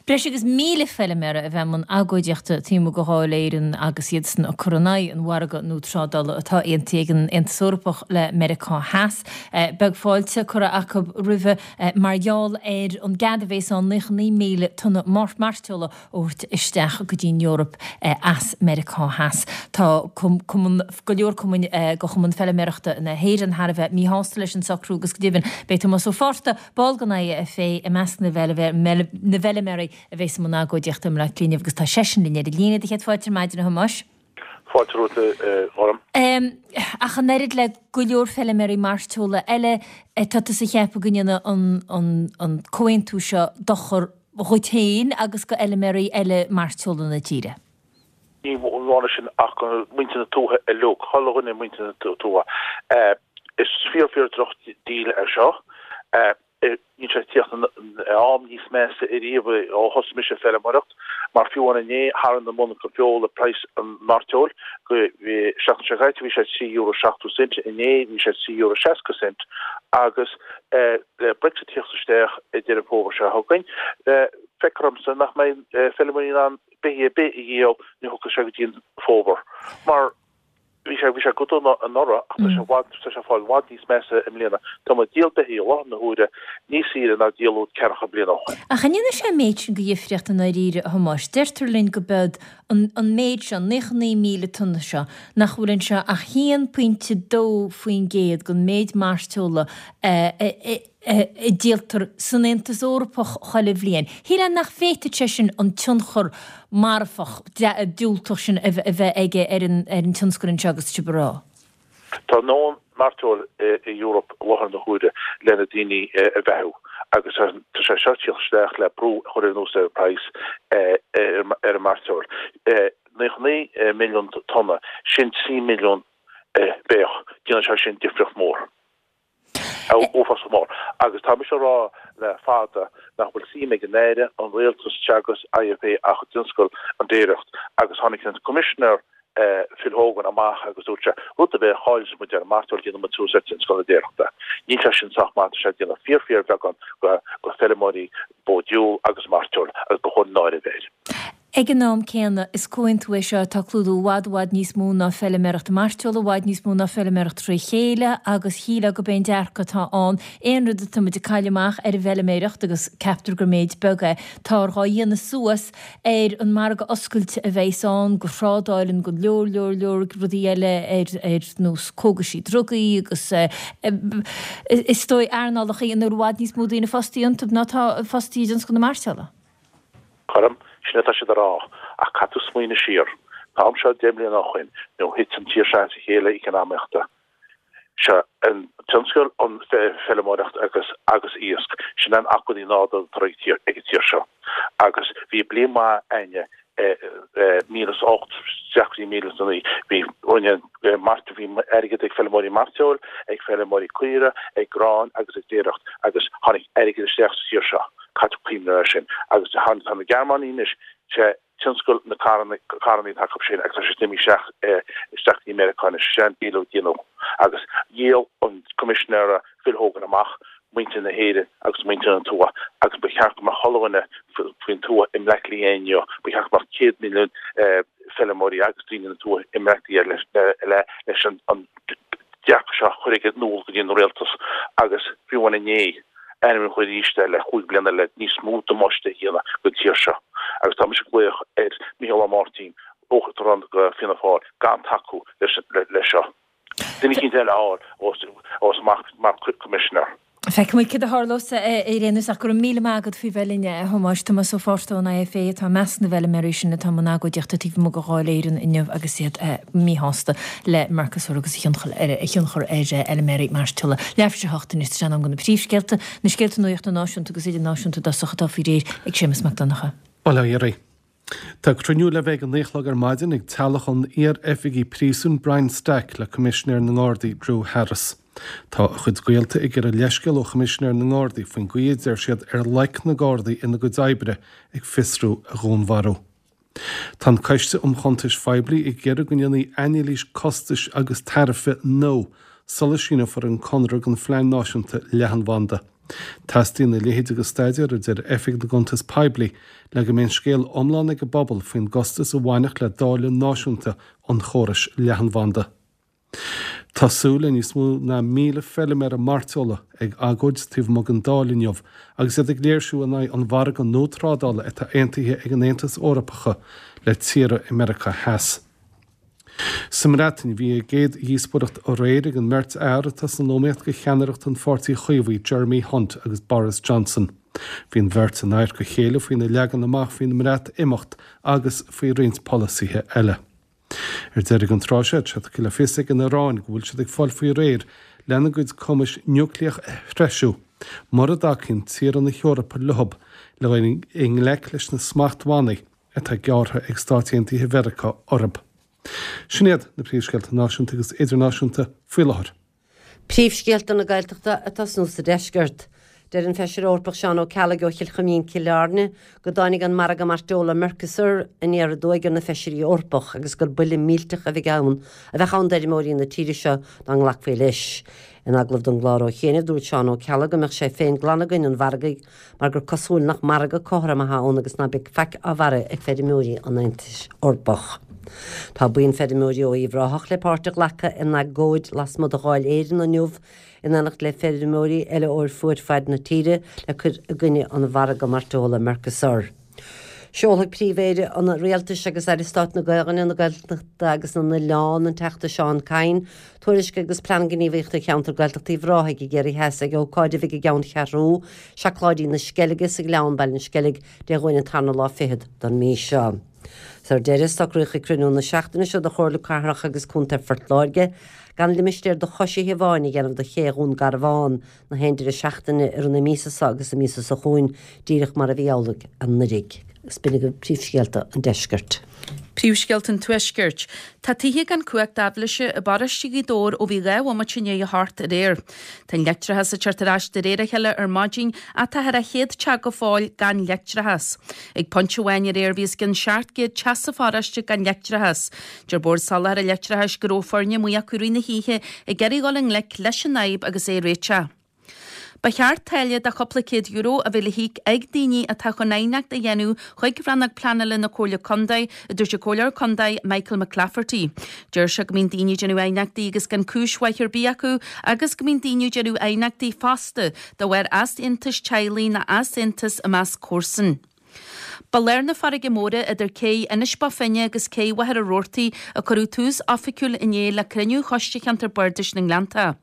breis agus 1,000 feilméara a bheith i mbun agóidíochta taobh amuigh de Dháil Éireann agus iadsan ag cur in aghaidh an mhargaidh nua trádála atá aontaithe ag an Aontas Eorpach le Meiriceá Theas. Beidh fáilte curtha acu roimhe mar gheall ar an gcead a bhéas ann 99,000 tonna mairteola a thabhairt isteach go dtí an Eoraip as Meiriceá Theas. Tá cumann, go leor cumainn de Chumann Feilméarachta na hÉireann thar a bheith míshásta leis an socrú agus go deimhin beidh Tomás Ó Fátharta, ball den IFA, i measc na bhfeilméaraí a bheas i mbun agóidíochta i mBleá Cliath inniu agus tá seisean linn ar an líne. Do chéad fáilte ar maidin a Thomáis. Fáilte romhat a Ghorm. Ach an oiread le go leor feilméaraí mairteola eile, tá tusa ag ceapadh go ndéanfaidh an comhaontú seo dochar dhuit féin agus go fheilméaraí eile mairteola na tíre. Ní amháin sin ach go muintir na tuaithe uilig, chuile dhuine muintir na tuaithe. Is fíor fíor droch deal é seo. Níl sé ag tíocht in am níos measa ariamh ó thosaigh mise ag feilméaracht mar fiú amháin inné tharraing an mhonarcha feola praghas an mhairteoil go bhí seachtain seo caite bhí sé €3.70 cent inné bhí sé €3.60 cent agus le Brexit tíocht isteach i Deireadh Fómhair seo chugainn, feictear domsa nach mbeidh feilméaraí in ann beithígh ar bith a dhíol ní thiocfaidh sé go dtí an fómhar. Mar bhí sé bhí sé go dona anuraidh ach tá sé i bhfad tá sé ag fáil i bhfad níos measa i mbliana. Tá muid ag díol beithígh i láthair na huaire níos saoire ná díoladh ceathracha bliain ó shoin. Ach an ndéanfaidh sé an méid sin de dhifríocht i ndáiríre, a Thomáis? Deirtear linn go bead an méid seo, 99,000 tonna seo, nach bhfuil anseo ach 1.2% den méid mairteola a díoltar san Aontas Eorpach chuile bhliain. Shílfeá nach bhféadfadh sé sin an tionchar marfach, diúltach sin a bheith aige ar an tionscal anseo agus sibh ag rá. Tá a ndóthain mairteoil i Europe i láthair na huaire le na daoine a bheathú agus tá sé seo ag tíocht isteach le brú a chur anuas ar an praghas ar an mairteoil. 99 milliún tonna, sin 3 milliún beach. Déanann sé sin difríocht mhór. Uafásach mór. Agus tá mise ag rá le fada nach bhfuil suim ag an Aire, an Rialtas, Teagasc, IFA ach i dtionscal an déiríocht. Agus tháinig an Coimisinéir Phil Hogan amach agus dúirt sé, rud ar bith a chailleas muid ar an mairteoil déanfaidh muid suas ar tionscal na déiríochta. Níl sé sin sách maith, tá sé ag déanamh fíor fíor bheagán go feilméaraí bó diúl agus mairteoil agus ba chóir náire a bheith air. Ag an am céanna, is comhaontú é seo atá ag clúdú i bhfad, i bhfad níos mó ná feilméaracht mairteola, i bhfad níos mó ná feilméaracht tré chéile agus shílfeá gurb é an dearcadh atá ann, aon rud atá muid ag cailleadh amach ar an bhfeilméaracht, agus ceaptar gur méid beag é, táthar dhá dhéanamh suas ar an margadh oscailte a bheas ann go thrádáil in go leor, leor, leor rudaí eile ar ar nós cógaisí, drugaí agus is dóigh earnálacha ina bhfuil i bhfad níos mó daoine fostaithe iontu ná atá fostaithe i dtionscal na mairteola. Cothrom, sin atá siad a rá, ach caithfidh tú smaoineamh siar. An t-am seo 10 mbliana ó shoin, nuair a thit an tír seo as a chéile eacnamaíochta. Seo an tionscal, an feilméaracht agus agus iasc, sin an acmhainní nádúrtha atá ag ag an tír seo. Agus bhí bliain mhaith a'inne i 1008 isteach go dtí 1009. Bhí rinne mairt bhí airgead ag feilméaraí mairteoil, ag feilméaraí caora, ag grán agus ag déireacht agus tháinig airgead isteach sa tír seo. Caithfidh tú cuimhneamh air sin. Agus tá na Gearmánaigh anois, sé tionscal na carranna, carrannaí atá acu sin agus tá siad imithe isteach, isteach go dtí Meiriceá anois, sé an díol a déanadh. Agus dhíol an Coimisinéara Phil Hogan amach muintir na hÉireann agus muintir na tuaithe agus ba cheart go mbeadh chuile dhuine faoin tuath i mBleá Cliath inniu, ba cheart go mbeadh 100 milliún feilméaraí agus daoine na tuaithe i mBleá Cliath le leis an dearcadh seo a chur in iúl go dtí an rialtas agus fiú amháin inné ainmniúchán arís eile chúig bliana le níos mó damáiste a dhéanamh don tír seo agus tá mise ag glaoch ar Micheál Ó Máirtín, Uachtarán de Fianna Fáil, gan tacú leis seo. Duine eicínt eile a fháil os amach mar Commissioner. Feicfimid céard a tharlós ar aon nós ach go raibh míle maith agat faoi bheith linn, a Thomáis. Tomás Ó Fátharta ón IFA atá i measc na bhfeilméaraí sin atá i mbun agóidíochta taobh amuigh de Dháil Éireann inniu agus iad míshásta le Mercosur agus a thionchar ar fheilméaraí mairteola. Leathuair tar éis a 8 anois, tá sé in am do na príomhscéalta, na scéalta nuachta náisiúnta agus idirnáisiúnta i dtosach atá faoi réir ag Séamus Mac Donncha. Bail ó Dhia oraibh. Tá cruinniú le bheith ag a 9 a chlog ar maidin ag teaghlach an iar-oifigigh príosúin Brian Stack le Coimisinéir na nGardaí Drew Harris. Tá a chuid gaolta ag iarraidh leithscéal ó Choimisinéir na nGardaí faoin gcaoi a deir siad ar loic na Gardaí ina gcuid oibre ag fiosrú a dhúnmharú. Tá an Coiste um Chuntais Phoiblí ag iarraidh go ndéanfaí anailís costais agus tairbhe nua sula síneofar an conradh don Phlean Náisiúnta Leathanbhanda. Teastaíonn a leithéid de staidéar, a deir Oifig na gCuntas Poiblí, le go mbeidh an scéal iomlán ag an bpobal faoin gcostas a bhainfeadh le dáileadh náisiúnta an chórais leathanbhanda. Tá súil le níos mó ná 1,000 feilméara mairteola ag agóid taobh amuigh den Dáil inniu agus iad ag léirsiú in aghaidh an mhargaidh nua trádála atá aontaithe ag an Aontas Eorpacha le tíortha i Meiriceá Theas. Sa mBreatain, bhí a gcéad dhíospóireacht aréir ag an mbeirt fhear atá san iomaíocht do cheannaireacht an Pháirtí Chaomhaigh, Jeremy Hunt agus Boris Johnson. Bhí an bheirt in adharca a chéile faoina leagan amach faoin mBreatimeacht agus faoi roinnt polasaithe eile. Ar deireadh an tráth seo, tá sé tugtha le fios ag an Iaráin go bhfuil siad ag fáil faoi réir lena gcuid cumais núicléach a threisiú mura dtacaíonn tíortha na hEorpa leob le dhul i ngleic leis na smachtbhannaí atá gearrtha ag Stáit Aontaithe Mheiriceá orthu. Sin iad na príomhscéalta náisiúnta agus idirnáisiúnta faoi láthair. Príomhscéalta na Gaeltachta ag tosnú sa deisceart. Deir an Feisire Eorpach Seán Ó Ceallaigh ó Chill Choimín, Cill Airne, go dtáinig an margadh mairteola Mercosur aniar aduaidh ar na Feisirí Eorpach agus gur buille millteach a bheidh ann a bheadh ann d'fheirmeoirí na tíre seo dá nglacfaí leis. In agallamh don gclár ó chianaibh dúirt Seán Ó Ceallaigh go mbeadh sé féin glan i gcoinne an mhargaidh mar gur cosúil nach margadh cothrom atá ann agus ná beidh faic á mhairfidh ag feirmeoirí an Aontais Eorpach. Tá buíon feirmeoirí ó Uíbh Ráthach le páirt a ghlacadh in agóid lasmuigh de Dháil Éireann inniu in éineacht le feirmeoirí eile ó fuaid faid na tíre le cur i gcoinne an mhargaidh mairteola Mercosur. Seolfaidh Príomh-Aire an Rialtais agus Aire Stáit na Gaelainne, na Gaeltachta agus na nOileán, an Teachta Seán Kyne, tuairisc agus Plean Gníomhaíochta Cheantar Gaeltachta Uíbh Ráthaigh i gCiarraí Theas ag ócáid a bheidh i gceanncheathrú Seacláidí na Sceilge sa Ghleann, Baile an Sceilg, Dé Domhnaigh an tarna lá fichead don mí seo. Ar deireadh, socraíodh ag cruinniú na seachtaine seo de Chomhairle Cathrach agus Contae Phort Láirge gan limistéar do choisithe amháin a dhéanamh de ché Dhún Garbhán na haon deireadh seachtaine i rith na míosa seo agus na míosa seo chugainn, díreach mar a bhí amhlaidh anuraidh. Agus b'in agaibh príomhscéalta an deiscirt. Príomhscéalta an Tuaiscirt. Tá tithe gan cumhacht aibhléise i bparóiste Ghaoth Dobhair ó bhí 2 bhomaite i ndiaidh a hocht aréir. Tá an leictreachas ag teacht ar ais de réir a chéile ar maidin ach tá thar 100 teach go fóill gan leictreachas. Ag pointe amháin aréir bhí os cionn 700 teach sa pharóiste gan leictreachas. Deir Bord Soláthair an Leictreachais go raibh foirne amuigh acu i rith na hoíche ag iarraidh dhul i ngleic leis an fhadhb agus é a réiteach. Ba cheart táille de chúpla céad euro a bheith le híoc ag daoine atá chun aighneacht a dhéanamh chuig Rannóg Pleanála na Comhairle Contae, a dúirt an Comhairleoir Contae Michael McClafferty. Deir sé go mbíonn daoine ag déanamh aighneachtaí agus gan cúis mhaith ar bith acu agus go mbíonn daoine ag déanamh aighneachtaí fosta de bharr easaontais teaghlaigh nó easaontas i measc comharsan. Ba lár na farraige móire idir cé Inis Bó Finne agus cé Mhachaire Rabhartaigh a cuireadh tús oifigiúil inné le cruinniú Choiste Cheantar Bardais na nGleannta.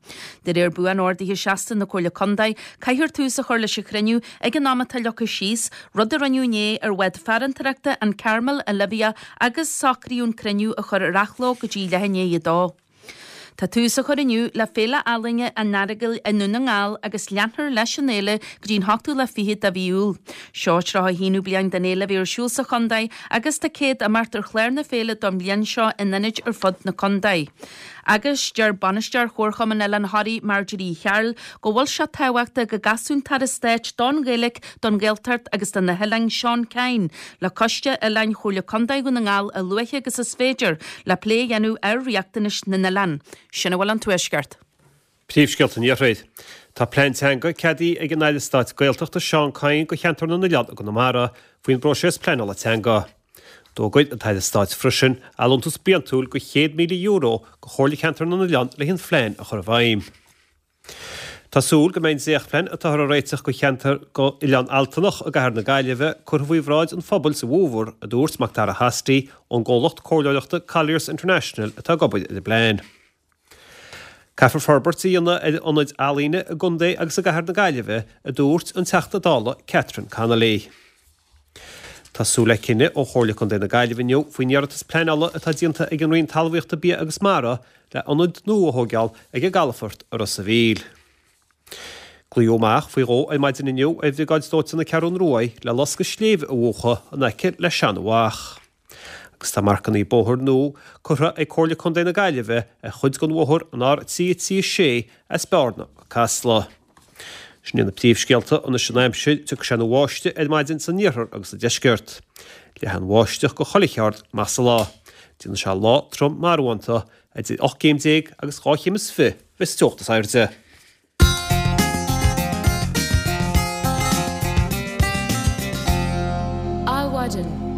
De réir buan-ordaithe seasta na Comhairle Contae, caithfear tús a chur leis an chruinniú ag an am atá leagtha síos, rud a rinneadh inné ar bhád farantóireachta an Carmel Olivia agus socraíodh an cruinniú a chur ar athló go dtí leath i ndiaidh a dó. Tá tús á chur inniu le Féile Ealaíne an Earagail i nDún na nGall agus leanfar leis an fhéile go dtí an hochtú lá fichead de mhí Iúil. Seo an 31ú bliain den fhéile a bheith ar siúl sa chontae agus tá 100 imeacht ar chlár na féile don bhliain seo in ionaid ar fud na contae. Agus deir Bainisteoir Chomharchumann Oileán Thoraí Marjorie Uí Chearúil go bhfuil sé tábhachtach go gcasfadh an tAire Stáit don Ghaeilge, don Ghaeltacht agus do na hOileáin Seán Kyne le Coiste Oileáin Chomhairle Contae Dhún na nGall a luaithe agus is féidir le plé a dhéanamh ar riachtanais na n-oileán. Sin a bhfuil ón Tuaisceart. Príomhscéalta an Iarthair. Tá plean teanga ceadaithe ag an Aire Stáit Gaeltachta Seán Kyne do cheantar na nOileán i gConamara faoin bpróiseas pleanála teanga. D'fhógair an tAire Stáit freisin allúntas bliantúil de €100,000 do Chomhairle Cheantar na nOileán le an phlean a chur i bhfeidhm. Tá súil go mbeidh an dréachtphlean atáthar a réiteach do cheantar d'Oileán Altanach i gcathair na Gaillimhe curtha faoi bhráid an phobail sa bhfómhar, a dúirt Macdara Hosty ón gcomhlacht comhairleoireachta Colliers International atá ag obair ar an bplean. Caithfear forbairt a dhéanamh ar ionaid ealaíne i gcontae agus i gcathair na Gaillimhe, a dúirt an Teachta Dála Catherine Connolly. Tá súil le cinneadh ó Chomhairle Contae na Gaillimhe inniu faoin iarratas pleanála atá déanta ag an Roinn Talmhaíochta, Bia agus Mara le ionad nua a thóigeáil ag an gcalafort i Ros a' Mhíl. Glaodh amach faoi dhó ar maidin inniu ar Bhriogáid Dóiteáin na Ceathrún Ruaidh le loscadh sléibhe a mhúchadh in aice le Seanadh Mhach. Agus tá marcannaí bóthair nua curtha ag Comhairle Contae na Gaillimhe ar chuid den bhóthar an R336 as Bearna go Casla. Sin iad na príomhscéalta anois an aimsir, tiocfaidh sé ina bháisteach ar maidin san iarthar agus sa deisceart. Leathfaidh an bháisteach go chuile cheard amach sa lá. Déanfaidh sé lá trom marbhánta, idir 18 céim agus 2 chéim is 20 a bheas an teocht is airde. Adhmhaidin.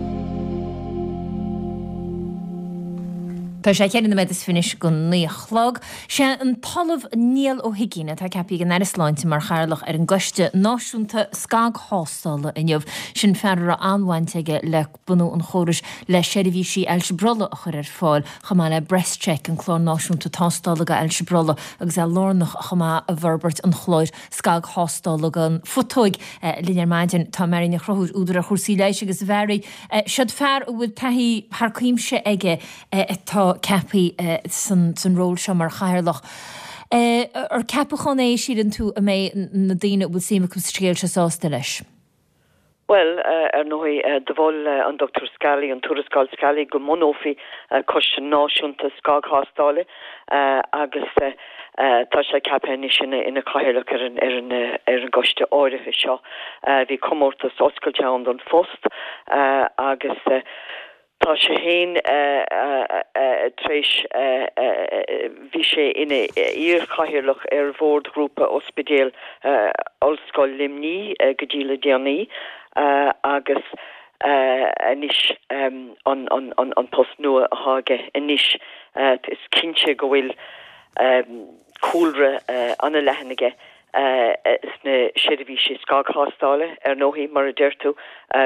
Tá sé cheithre nóiméad is fiche anois go naoi a chlog. Sé an tOllamh Niall Ó hUiginn atá ceaptha ag an Aire Sláinte mar chathaoirleach ar an gCoiste Náisiúnta Scagthástála inniu. Sin fear a raibh an-bhaint aige le bunú an chórais le seirbhísí ailse brollaigh a chur ar fáil, chomh maith le BreastCheck, an clár náisiúnta tástála do ailse brollaigh, agus é lárnach chomh maith i bhforbairt an chláir scagthástála don phutóig. Linn ar maidin tá Mary Ní Chonchúir, údar ar chúrsaí leighis agus a Mhary, siod fear a bhfuil taithí thar cuimse aige atá ceaptha san ról seo mar chathaoirleach. Ar ceapachán é, síleann tú, a mbeidh na daoine a bhfuil suim acu sa scéal seo sásta leis? Bhuel, ar ndóigh, do mhol an Dr Scally, an Tuarascáil Scally, go mbunófaí Coiste Náisiúnta Scagthástála agus tá sé ceaptha anois ina chathaoirleach ar an ar an gcoiste áirithe seo. Bhí comórtas oscailte ann don phost agus Tá sé féin tar éis, bhí sé ina iar-chathaoirleach ar Bhord Ghrúpa Ospidéal Ollscoil Luimnigh go dtí le déanaí agus anois an post nua atá aige anois is cinnte go bhfuil cúlra an-leathan aige sna seirbhísí scagthástála, ar ndóigh, mar a deir tú,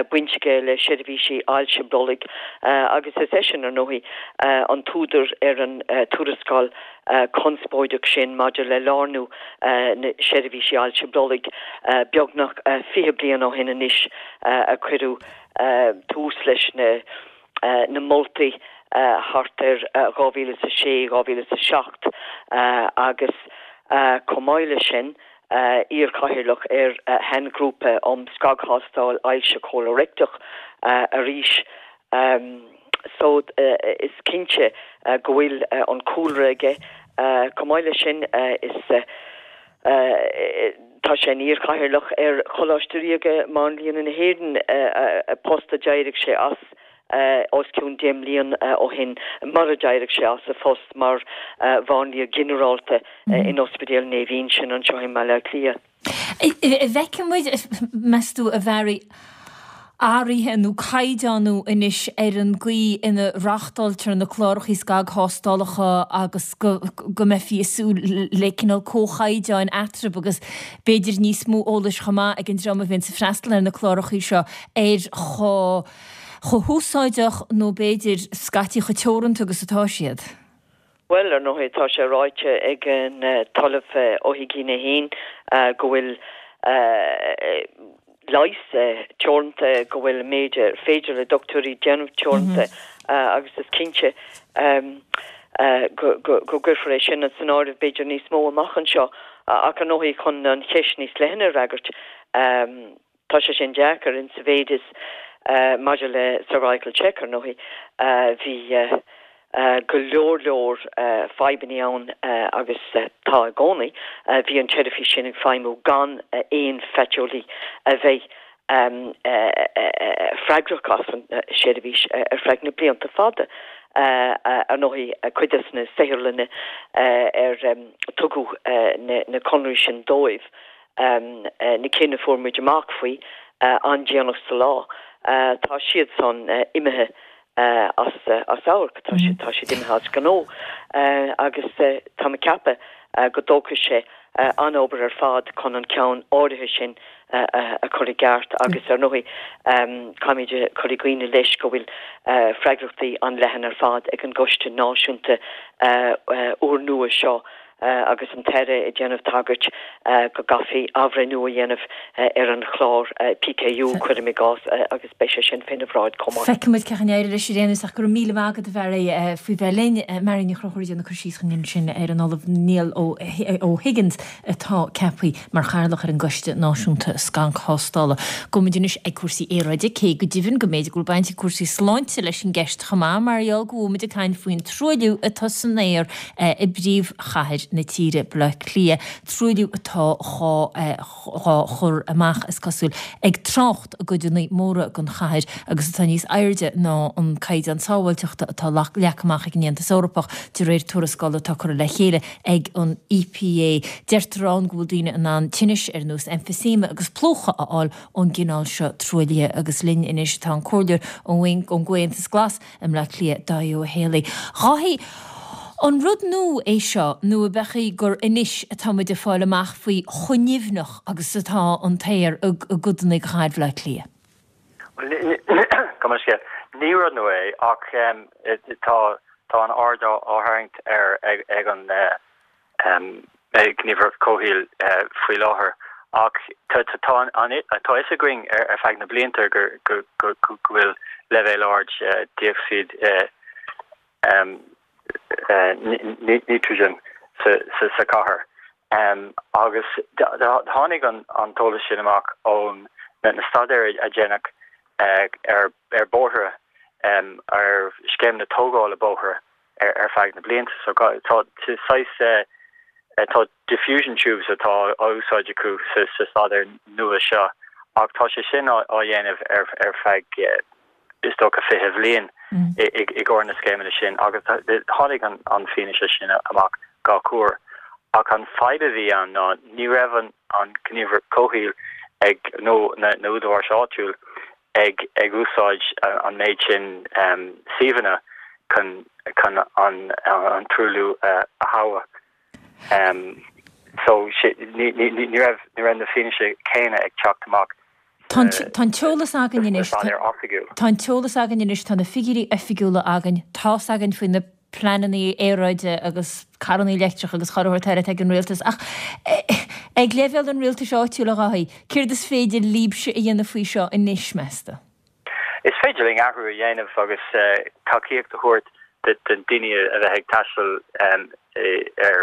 baint aige le seirbhísí ailse brollaigh agus is eisean, ar ndóigh, an t-údar ar an tuarascáil chonspóideach sin maidir le lárnú na seirbhísí ailse brollaigh beagnach 20 bliain ó shin anois a cuireadh tús leis na moltaí thart ar 2006, 2007 agus chomh maith leis sin, iar-chathaoirleach ar shainghrúpa um scagthástáil ailse chólaireicteach arís. So is cinnte go bhfuil an cúlra aige. Chomh maith leis sin, is. Tá sé ina iar-chathaoirleach ar Choláiste Ríoga Máinlianna na hÉireann, post a d'éirigh sé as os cionn 10 mblian ó shin, mar a d'éirigh sé as a phost mar mháinlia ginearálta in Ospidéal Naomh Uinseann anseo i mBaile Átha Cliath. An bhfeicfidh muid, meas tú, a Mhary? athruithe nó caighdeánú anois ar an gcaoi ina reáchtáiltear na cláracha scagthástálacha agus go go mbeifí ag súil le cineál comhchaighdeáin eatarthu agus b'fhéidir níos mó eolais chomh maith ag an dream a bhíonns ag freastal ar na cláracha seo ar chomh chomh húsáideach nó b'fhéidir scaití chomh teoranta agus atá siad. Bhuel, ar ndóigh, tá sé ráite ag an tOllamh Ó hUiginn é féin go bhfuil leigheas teoranta, go bhfuil an méid ar féidir le dochtúirí déanamh teoranta agus is cinnte go gcuirfear é sin san áireamh b'fhéidir níos mó amach anseo. Ach ar ndóigh, chun an cheist níos leithne a fhreagairt, Tá sé sin deacair in sa mhéid is maidir le cervical check ar ndóigh bhí go leor leor fadhbanna ann agus tá i gcónaí. Bhí an tseirbhís sin ag feidhmiú gan aon phaiteolaí a bheith freagrach as an seirbhís ar feadh na blianta fada. Ar ndóigh cuid de na saotharlanna ar tugadh na conraí sin dóibh, na cinn a fuair muid amach faoi an-déanach sa lá, tá siad san imithe as amharc, tá siad, tá siad imithe as gnó agus tá mé ag ceapadh go dtógfaidh sé an-obair ar fad chun an ceann áirithe sin a chur i gceart agus ar ndóigh caithfimid cur i gcuimhne leis go bhfuil freagrachtaí an-leathan ar fad ag an gCoiste Náisiúnta úrnua seo. agus an tAire ag déanamh tagairt go gcaithfí athbhreithniú a dhéanamh ar an chlár PKU, cuirim i gcás, agus beidh sé sin féna bhráid chomh maith. Feicfimid cén chaoi a n-éireoidh leis ar aon nós ach go raibh míle maith agat a Mhary faoi bheith linn. Mary Ní Chonchúir ag déanamh cur síos dhúinn ansin ar an Ollamh Niall O'Higgins atá ceaptha mar chathaoirleach ar an gCoiste Náisiúnta Scagthástála. Gabhfaimid anois ag cúrsaí aeráide, cé go deimhin go mb'fhéidir go bhfuil baint ag cúrsaí sláinte leis an gceist chomh maith, mar gheall go bhfuil muid ag caint faoin truailliú atá san aer i bpríomhchathair na tíre, Baile Átha Cliath, truailliú atá dhá chur amach, is cosúil, ag trácht i gcodanna móra den chathair agus atá níos airde ná an caighdeán sábháilteachta atá leagtha amach ag an Aontas Eorpach, de réir tuarascála atá curtha le chéile ag an EPA. Deirtear ann go bhfuil daoine in ann tinnis ar nós emphysema agus plúchadh a fháil ón gcineál seo truaillithe agus linn anois tá an Comhairleoir ón gComhaontas Glas i mBleá Cliath, Dáithí Ó Héalaí. Dáithí, an rud nua é seo nó ab ea gur anois atá muid ag fáil amach faoi chomh nimhneach agus atá an t-aer i gcodanna de chathair Bhaile Átha Cliath? Bhuel, gabh mo leithscéal. Ní rud nua é ach tá tá an aird á tharraingt air ag an Gníomhaireacht Comhshaoil faoi láthair ach tá tá a fhios againn ar feadh na blianta go go go bhfuil leibhéal ard dé-ocsaíd nítrigine sa chathair. Agus tháinig an t-eolas sin amach ón na staidéir a deineadh ar bóithre, ar scéimeanna tógála bóithre ar feadh na blianta. So tá saghas, tá diffusion tubes atá á úsáid acu sa staidéar nua seo ach tá sé sin á dhéanamh ar feadh is dócha 20 bhliain i gcomhair na scéimeanna sin agus tháinig an fianaise sin amach gach uair. Ach an fadhb a bhí ann ná ní raibh an Ghníomhaireacht Comhshaoil ag nó na údaráis áitiúil ag ag úsáid an méid sin suíomhanna chun chun an an truailliú a thomhas. So ní ní raibh ní raibh na fianaise céanna ag teacht amach Tá an t-eolas againn anois, tá an t-eolas againn anois, tá na figiúirí oifigiúla againn, tá's againn faoi na pleananna aeráide agus carrannaí leictreacha agus chuile shórt eile atá ag an rialtas. Ach ag leibhéal an rialtais áitiúil, a Dháithí, céard is féidir libhse a dhéanamh faoi seo anois, meas tú? Is féidir linn athrú a dhéanamh agus tacaíocht a thabhairt do daoine a bheith ag taisteal ar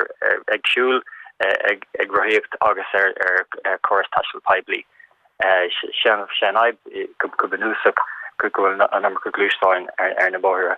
ag siúl, ag rothaíocht agus ar chóras taistil poiblí. Sé an fhadhb go bunúsach go bhfuil an iomarca gluaisteáin ar na bóithre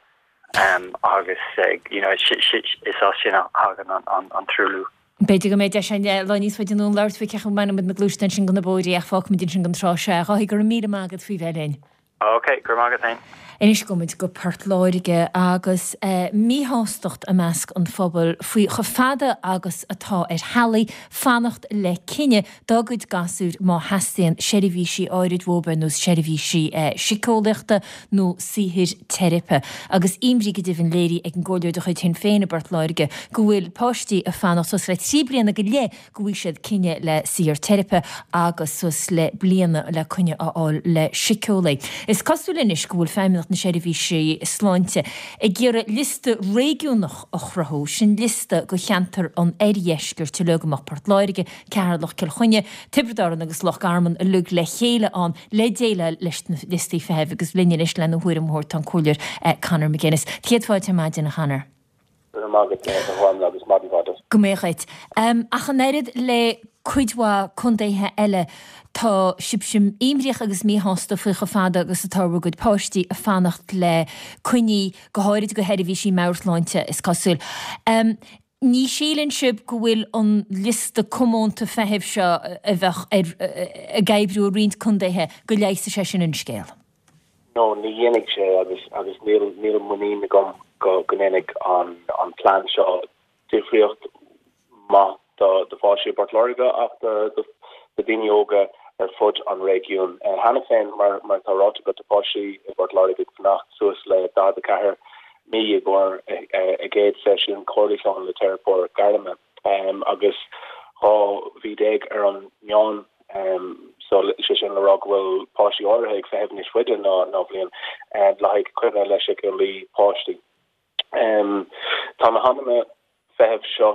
agus you know is as sin a thagann an truailliú. B'fhéidir go mbeidh deis againn lá níos faide anonn labhairt faoi cén chaoi a mbainfidh muid na gluaisteáin sin de na bóithre ach fágfaimid ansin don tráth seo é. A Dháithí, go raibh míle maith agat faoi bheith linn. Ok, go raibh maith agat féin. Anois gabhfaimid go Port Láirge agus míshástacht i measc an phobail faoi chomh fada agus atá ar theaghlaigh fanacht le cinneadh dá gcuid gasúir má theastaíonn seirbhísí áirid uathu ar nós seirbhísí síceolaíochta nó saothair teiripe. Agus imní go deimhin léirithe ag an gcomhairleoir de chuid Shinn Féin i bPort Láirge go bhfuil páistí ag fanacht suas le 3 bliana go leith go bhfaighidh siad cinneadh le saothar teiripe agus suas le bliain le coinne a fháil le síceolaí. Is cosúil anois go bhfuil Feidhmeannacht na Seirbhíse Sláinte ag iarraidh liosta réigiúnach a chruthú, sin liosta do cheantar an oirdheiscirt uilig, go mbeadh Port Láirge, Ceatharlach, Cill Chainnigh, Tiobraid Árann agus Loch Garman uilig le chéile ann le déileáil leis na liostaí feithimh agus linn anois lena thuairim a thabhairt tá an Comhairleoir Conor McGuinness. Céad fáilte ar maidin, a Chonor. Go raibh maith agat, a Ghormfhlaith, agus maidin mhaith duit. Go mbeadh duit. Ach an oiread le cuid mhaith contaetha eile, tá sibhse imníoch agus míshásta faoi chomh fada agus atá bhur gcuid páistí ag fanacht le coinní, go háirid do sheirbhísí meabhairshláinte, is cosúil. Ní shíleann sibh go bhfuil an liosta comónta feithimh seo a bheadh ag oibriú i roinnt contaetha, go leigheasfaidh sé sin an scéal? No, ní dhéanfaidh sé agus agus níl níl muinín agam go go ndéanfaidh an an plean seo difríocht maith do do pháistí i bPort Láirge ach do do do daoine óga ar fud an réigiúin. Cheana féin, mar mar atá ráite agat, tá páistí i bPort Láirge ag fanacht suas le 44 mí i gcomhair a gcéad seisiún comhairliúcháin le teiripeoir gairme. agus 12 mhí ar an meán so sé sin le rá go bhfuil páistí áirithe ag feitheamh níos faide ná ná bliain le haghaidh coinne le síceolaí páistí. Tá na hamanna feithimh seo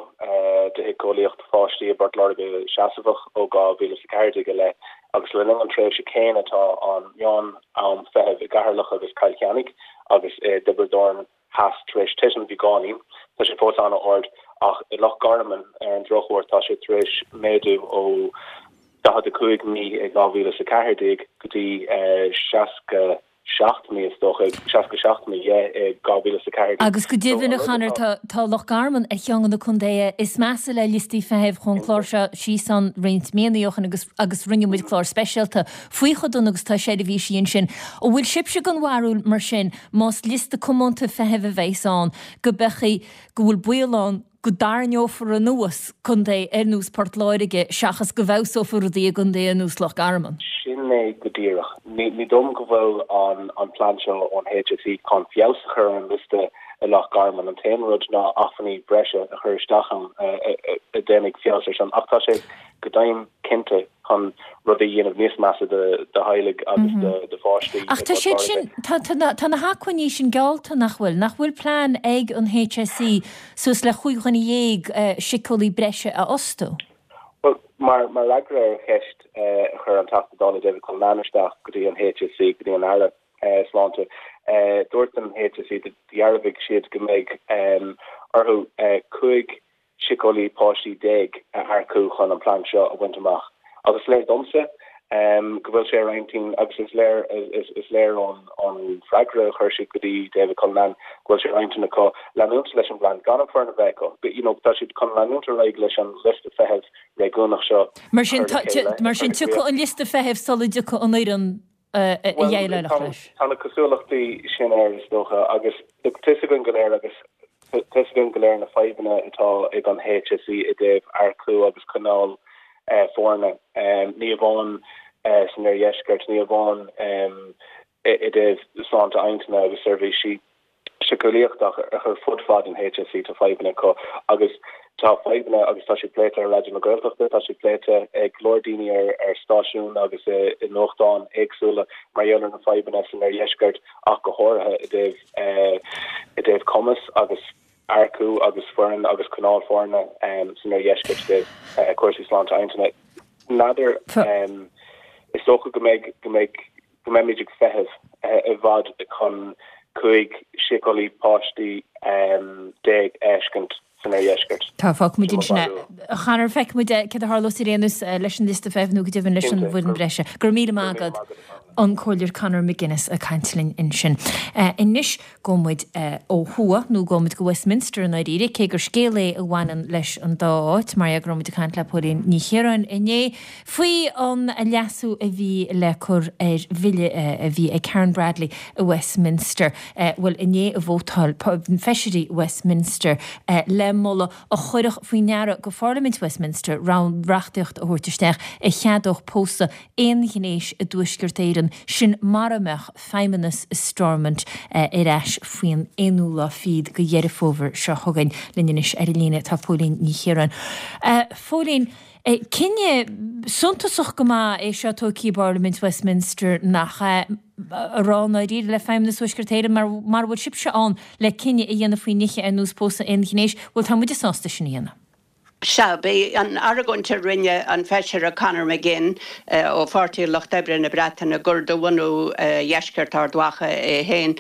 do shíceolaíocht pháistí i bPort Láirge seasamhach ó 2014 i leith agus le linn an tréimhse céanna tá an meán am feithimh i gCeatharlach agus Cill Chainnigh agus i dTiobraid Árann Theas tar éis titim beagáinín. Tá sé fós an-ard ach i Loch Garman, ar an drochuair, tá sé tar éis méadú ó 45 mí i 2014 go dtí 67 mí, is dócha, 67 mí, yeah, i 2014. Agus go deimhin, a Chonor, tá Loch Garman ar cheann de na contaetha is measa le liostaí feithimh. Chuaigh an clár seo síos ann roinnt míonna ó shin agus agus rinne muid clár speisialta faoi chomh dona agus atá seirbhísí ansin. An bhfuil sibhse den bharúil, mar sin, Más liosta comónta feithimh a bheas ann, go mbeidh, go bhfuil baol ann go dtarraingeofar anuas contae ar nós Port Láirge seachas go bhfeabhsófar rudaí i gcontae ar nós Loch Garman. Sin é go díreach. Ní dóigh liom go bhfuil an plean seo ón HSE chun feabhas a chur ar an liosta i Loch Garman. An t-aon rud ná acmhainní breise a chur isteach ann a dhéanfaidh feabhas air sin. Ach tá sé go deimhin cinnte chun rudaí a dhéanamh níos measa do theaghlaigh agus do pháistí Ach tá siad sin, tá na hacmhainní sin geallta, nach bhfuil? Nach bhfuil plean ag an HSE suas le 15 dhuine síceolaí breise a fhostú? Bhuel, mar fhreagra ar cheist a chuir an Teachta Dála David Cullinane isteach go dtí an HSE, go dtí an Aire Sláinte, dúirt an HSE, dhearbhaigh siad go mbeidh orthu 15 síceolaí páistí a earcú chun an plean seo a bhaint amach. Agus is léir domsa go bhfuil sé ar intinn agus is léir is léir ón bhfreagra a chuir siad go dtí David Cullinane go bhfuil sé ar intinn acu leanúint leis an bplean gan an foireann a bheith acu. You know, tá siad chun leanúint ar aghaidh leis an liosta feithimh réigiúnach seo Mar sin, mar sin tiocfaidh an liosta feithimh sula dtiocfaidh an fhoireann a dhéileálfadh leis. Tá na cosúlachtaí sin air, is dócha, agus tá fhios againn go léir agus tá fhios againn go léir na fadhbanna atá ag an HSE i dtaobh earcú agus coinneáil foirne, ní amháin san oirdheisceart, ní amháin i dtaobh sláinte intinne agus seirbhísí. síceolaíochta ach ar fud fad an HSE tá fadhbanna acu agus tá fadhbanna agus tá siad pléite ar Raidió na Gaeltachta, tá siad pléite ag go leor daoine ar ar stáisiúin agus i i nuachtáin éagsúla mar gheall ar na fadhbanna san oirdheisceart ach go háirithe i dtaobh i dtaobh cumas agus earcú agus foireann agus coinneáil foirne san oirdheisceart i dtaobh cúrsaí sláinte intinne. N'fheadar is dócha go mbeidh go mbeidh go mbeimid ag feitheamh i bhfad chun 15 síceolaí páistí a fheiscint san oirdheisceart. Tá, fágfaimid ansin é. A Chonor, feicfimid céard a tharlós ar aon nós leis an liosta feithimh nó go deimhin leis an bhfoireann bhreise. Go raibh míle maith agat. An Comhairleoir Conor McGuinness ag caint linn ansin. Anois gabhfaidh muid ó thuaidh, nó gabhfaidh muid go Westminster i ndáiríre, cé gur scéal é a bhaineann leis an dá áit, mar go raibh muid ag caint le Póilín Ní Chiaráin inné faoi an leasú a bhí le cur ar bhille a bhí ag Karen Bradley i Westminster. Bhuel, inné a vótáil feisirí Westminster le moladh a chuirfeadh faoi ndeara go Pharlaimint Westminster reachtaíocht a thabhairt isteach a cheadódh pósadh aonghnéis i dTuaisceart Éireann, sin mara mbeadh feidhmeannas i Stormont ar ais faoin aonú lá fichead de Dheireadh Fómhair seo chugainn. Linn anois ar an líne tá Póilín Ní Chiaráin. A Phóilín, cinneadh suntasach go maith é seo tógtha i bParlaimint Westminster, nach ea? A rá i ndáiríre le Feidhmeannas Thuaisceart Éireann, mar mara bhfuil sibhse ann le cinneadh a dhéanamh faoi nithe ar nós pósadh aonghnéis, bhuel tá muide sásta sin a dhéanamh. Sea, b'é an argóint a rinne an Feisire Conor McGinn ó Pháirtí an Lucht Oibre na Breataine, gur de bhunú Dheisceart Ard Mhacha é féin,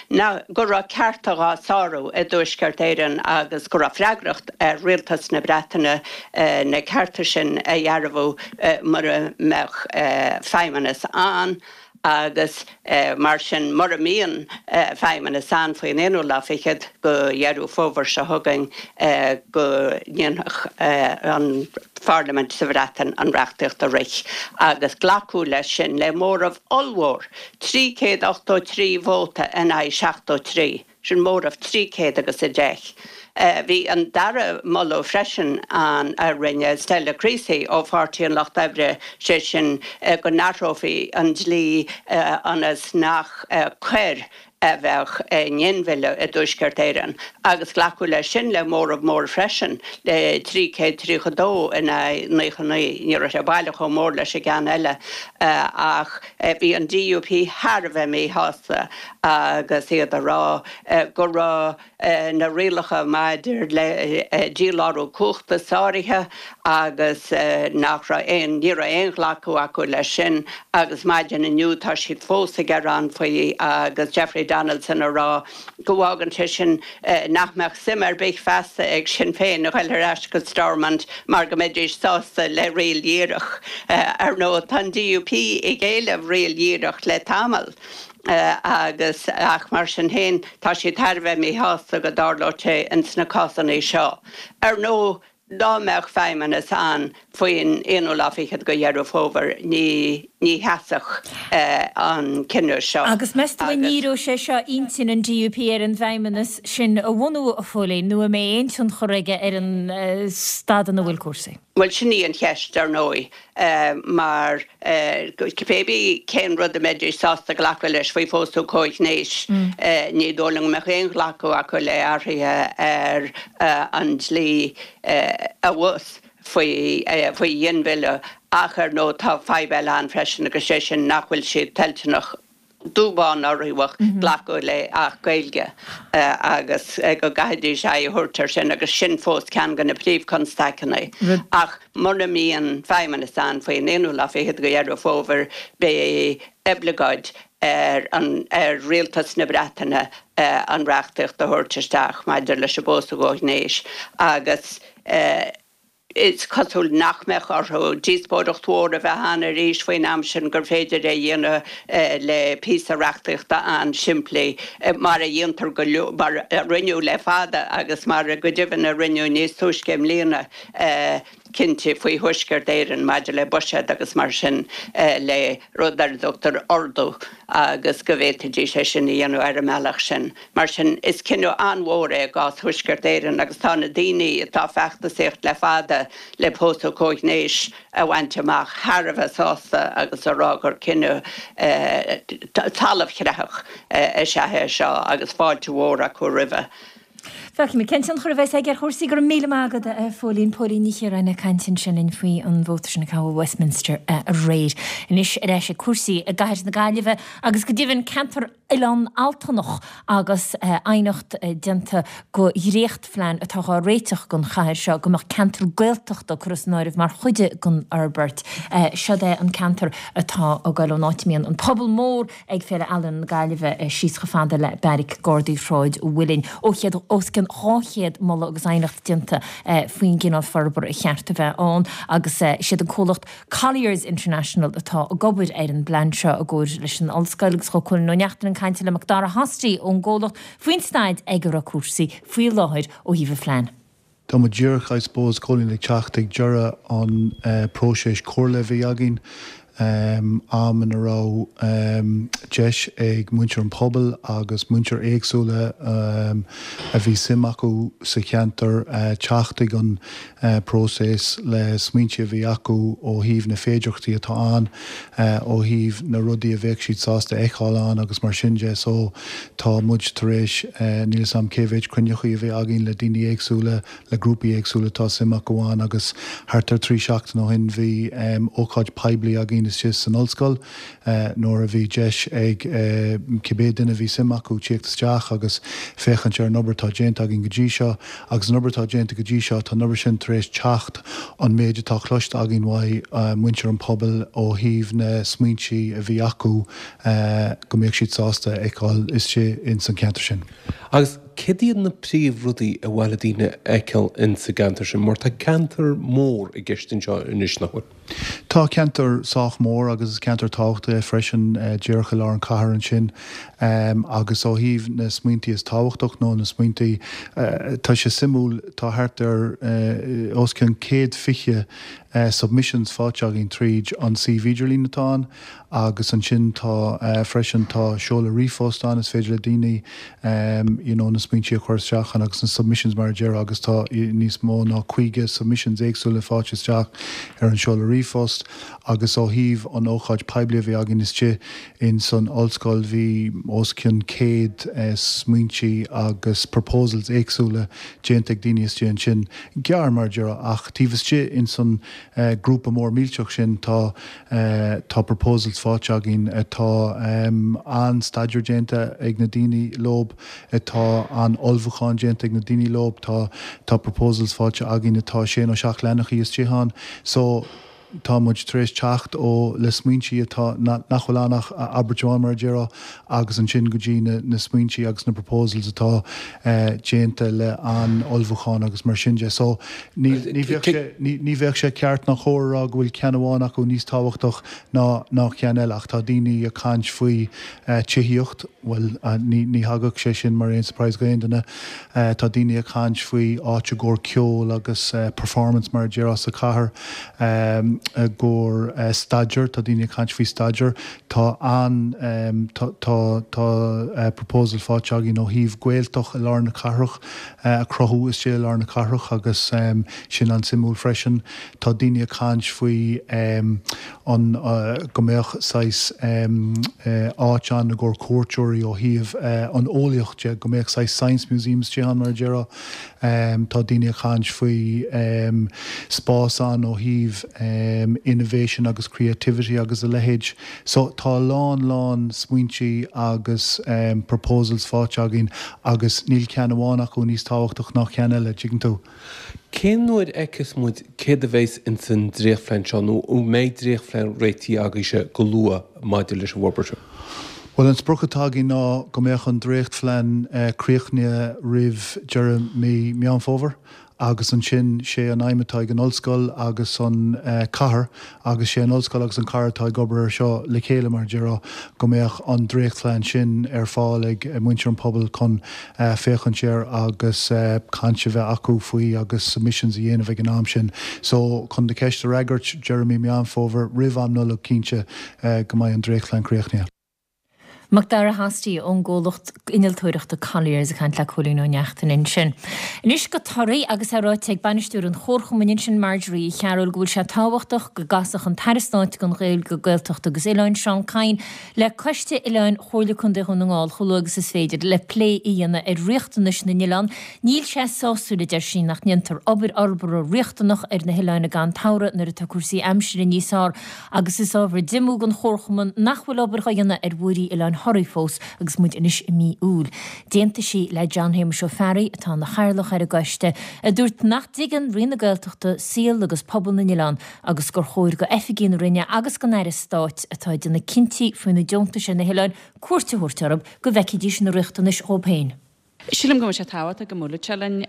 ná go raibh cearta dhá sárú i dTuaisceart Éireann agus go raibh freagracht ar Rialtas na Breataine na cearta sin a dhearbhu mura mbeadh feidhmeannas ann agus mar sin mura mbíonn feidhmeannas ann faoin aonú lá fichead de Dheireadh Fómhair seo chugainn go ndéanfadh an Pharlaimint sa Bhreatain an reachtaíocht a rith agus glacadh leis sin le móramh ollmhór, 383 vóta in aghaidh 73. Sin móramh 300 agus 10. Bhí an dara moladh freisin ann a rinne Stella Creasy ó Pháirtí an Lucht Oibre, sé sin go n-athrófaí an dlí ionas nach coir a bheadh i nginmhilleadh i dTuaisceart Éireann agus glacadh leis sin le móramh mór freisin, le 332 in aghaidh 99. Ní raibh sé baileach chomh mór leis an gceann eile ach bhí an DUP thar a bheith míshásta agus iad ag rá go raibh na rialacha maidir le dílárú cumhachta sáraithe agus nach raibh aon, ní raibh aon ghlacadh acu leis sin agus maidin inniu tá siad fós ag gearán faoi agus Jeffrey Donaldson ag rá go bhfágann sé sin nach mbeadh suim ar bith feasta ag Sinn Féin a ghoil ar ais go Stormont mar go mbeidís sásta le riail dhíreach. Ar ndóigh tá an DUP ag éileamh riail dhíreach le tamall. agus ach mar sin féin tá siad thar a bheith míshásta go dtarlódh sé ins na cásanna seo. Ar ndóigh dá mbeadh feidhmeannas ann faoin aonú lá fichead de Dheireadh Fómhair ní ní sheasfadh an cinneadh seo Agus meas tú an ndíreoidh sé seo intinn an DUP ar an bhfeidhmeannas sin a bhunú, a Phóilín, nó an mbeidh aon tionchar aige ar an staid ina bhfuil cúrsaí? Bhuel sin í an cheist ar ndóigh mar Cibé cén rud a mbeidís sásta glacadh leis faoi phósadh comhghnéis, ní dóigh liom go mbeadh aon ghlacadh acu le athruithe ar an dlí abhus faoi ghinmhilleadh. Ach ar ndóigh tá fadhb eile ann freisin agus sé sin nach bhfuil siad toilteanach dubh bán ná riabhach glacadh le Acht Gaeilge agus go gcaithfidís aghaidh a thabhairt air sin agus sin fós ceann de na príomhchonstaiceanna. Ach mura mbíonn feidhmeannas ann faoin aonú lá fichead de Dheireadh Fómhair beidh oibleagáid ar an ar Rialtas na Breataine an reachtaíocht a thabhairt isteach maidir leis an bpósadh comhghnéis agus Is cosúil nach mbeadh orthu díospóireacht mhór a bheith ann arís faoin am sin, gur féidir é a dhéanamh le píosa reachtaíochta an-simplí, mar a dhéantar go leor, mar a rinneadh le fada agus mar go deimhin a rinneadh níos túisce i mbliana, cinnte, faoi Thuaisceart Éireann maidir le buiséad agus mar sin, le rud ar a dtugtar ordú agus go bhféadfaidís é sin a dhéanamh ar an mbealach sin. Mar sin, is cinneadh an-mhór é i gcás Thuaisceart Éireann agus tá na daoine atá ag feachtasaíocht le fada le pósadh comhghnéis a bhaint amach thar a bheith sásta agus a rá gur cinneadh talamh-chreathach is ea é seo agus fáilte mhór acu roimhe. Feicfimid cén tionchar a bheas aige ar chúrsaí. Go raibh míle maith agat, a Phóilín. Póilín Ní Chiaráin ag caint ansin linn faoi an vóta sin a caitheadh i Westminster aréir. Anois ar ais ag cúrsaí i gcathair na Gaillimhe agus go deimhin ceantar. Oileán Altanach agus aighneacht déanta go dhréachtphlean atá dhá réiteach don chathair seo go mbeadh ceantar Gaeltachta curtha san áireamh mar chuid den fhorbairt. Seod é an ceantar atá ag goil ón áit a mbíonn an puball mór ag Féile Ealaíon na Gaillimhe síos chomh fada le Beairic Gardaí Shráid an Mhuilinn. Ó chéad os cionn 200 moladh agus aighneacht déanta faoin gcineál forbartha a cheart a bheith ann agus siad an comhlacht Colliers International atá ag obair ar an bplean seo i gcomhar leis an ollscoil agus chuaigh Cóilín Ó Neachtain chun cainte le Macdara Hosty ón gcomhlacht faoin staid ag a raibh cúrsaí faoi láthair ó thaobh an phlean. Tá muid díreach, I suppose, Cóilín, ag teacht ag deireadh an próiseas comhairle a bhí againn. am ina raibh deis ag muintir an phobail agus muintir éagsúla a bhí suim acu sa cheantar teacht ag an próiseas le smaointe a bhí acu ó thaobh na féidearthachtaí atá ann, ó thaobh na rudaí a bheadh siad sásta a fheiceáil ann agus mar sin de. So tá muid tar éis, níl 'fhios a'm cé mhéid cruinneachaí a bhí againn le daoine éagsúla, le grúpaí éagsúla atá suim acu ann agus thart ar 3 seachtain ó shin bhí ócáid poiblí againn istigh san ollscoil nuair a bhí deis ag cibé duine a bhí suim acu tíocht isteach agus féachaint ar an obair atá déanta againn go dtí seo agus an obair atá déanta go dtí seo tá an obair sin tar éis teacht an méid atá cloiste againn uaidh muintir an pobail ó thaobh na smaointí a bhí acu go mbeadh siad sásta a fheiceáil istigh ins an cheantar sin. Agus céard iad na príomhrudaí ar mhaith le daoine a fheiceáil insa gceantar sin, mar tá ceantar mór i gceist anseo anois, nach bhfuil? Tá ceantar sách mór agus is ceantar tábhachtach é freisin, díreach i lár an chathair ansin. Agus ó thaobh na smaointí is tábhachtach nó na smaointí, tá sé suimiúil, tá thart ar os cionn 120 submissions faighte againn tríd an suíomh idirlín atá ann. Agus ansin tá freisin, tá seoladh ríomhphost ann, is féidir le daoine you know na smaointí a chur isteach ann agus na submissions mar a déarfá agus tá níos mó ná 50 submissions éagsúla faighte isteach ar an seoladh ríomhphost. Agus ó thaobh an ócáid poiblí a bhí againn istigh in san ollscoil bhí os cionn 100 smaointí agus proposals éagsúla déanta ag daoine istigh ansin. Gearr mar a déarfá ach taobh istigh in san grúpa mór millteach sin tá Tá proposals faighte againn atá an-staidéar déanta ag na daoine leob, atá an-ullmhúchán déanta ag na daoine leob, tá tá proposals faighte againn atá sé nó seacht leathanachaí istigh ann. So, tá muid tar éis teacht ó le smaointí atá nach bhfuil ann ach abairt amháin mar a déarfá agus ansin go dtí na na smaointí agus na proposals atá déanta le an-ullmhúchán agus mar sin de. So, Ní bheadh sé, ní bheadh sé ceart ná cóir a rá go bhfuil ceann amháin acu níos tábhachtach ná ná ceann eile ach tá daoine ag caint faoi tithíocht, bhuel ní ní thagadh sé sin mar aon surprise go aon duine. Tá daoine ag caint faoi áit i gcomhair ceol agus performance mar a déarfá sa chathair, i gcomhair staidéar, tá daoine ag caint faoi staidéar. Tá an tá tá tá proposal faighte againn ó thaobh Gaeltacht i lár na cathrach. a chruthú istigh i lár na cathrach agus sin an-suimiúil freisin. Tá daoine ag caint faoi an go mbeadh saghas áit ann i gcomhair cuairteoirí ó thaobh an eolaíocht de, go mbeadh saghas science museum istigh ann mar a déarfá. Tá daoine ag caint faoi spás ann ó thaobh innovation agus creativity agus a leithéid. So tá a lán lán smaointí agus proposals faighte againn agus níl ceann amháin acu níos tábhachtach ná ceann eile, tuigeann tú. Cén uair a fheicfeas muid céard a bheas ins an dréachtphlean seo nó an mbeidh dréachtphlean réitithe agaibhse go luath maidir leis an bhforbairt seo? Bhuel, an sprioc atá againn ná go mbeadh an dréachtphlean críochnaithe roimh deireadh mí Meán Fómhair Agus ansin, sé an aidhm atá ag an ollscoil agus an cathair, agus sé an ollscoil agus an cathair atá ag obair air seo le chéile, mar a déarfá, go mbeadh an dréachtphlean sin ar fáil ag muintir an pobail chun féachaint air agus caint a bheith acu faoi agus submissions a dhéanamh ag an am sin. So, chun do cheist a fhreagairt, deireadh mí Meán Fómhair, roimh am Nollag cinnte, go mbeidh an dréachtphlean críochnaithe. Macdara Hosty ón gcomhlacht innealtóireachta Colliers ag caint le Cóilín Ó Neachtain ansin. Anois go Toraigh agus é ráite ag bainisteoir an Chomharchumainn ansin Marjorie Uí Chearúil go bhfuil sé tábhachtach go gcasfadh an tAire Stáit don Ghaeilge, Gaeltacht agus Oileáin, Seán Kyne, le Coiste Oileáin Chomhairle Contae Dhún na nGall chomh luath agus is féidir le plé a dhéanamh ar riachtanais na n-oileán. Níl sé sásúil, a deir sí, nach ndéantar obair fhorbartha riachtanach ar na hoileáin i gcaitheamh an tsamhraidh nuair atá cúrsaí aimsire níos fearr. Agus is ábhar diomú don Chomharchumann nach bhfuil obair dhá dhéanamh ar mhuirí Oileáin. Thoraí fós agus muid anois i mí Iúil. D'aontaigh sí le John Shéamuis Ó Fearraigh, atá ina chathaoirleach ar an gcoiste, a dúirt nach dtuigeann Roinn na Gaeltachta saol agus pobal na n-oileán agus gur chóir go oifigigh na Roinne agus don Aire Stáit atá ag déanamh cinntí faoi na deontais ar na hoileáin cuairt a thabhairt orthu go bhfeicfidís na riachtanais dhóibh féin. Sílim go bhfuil sé tábhachtach go mbuailfeadh sé linn.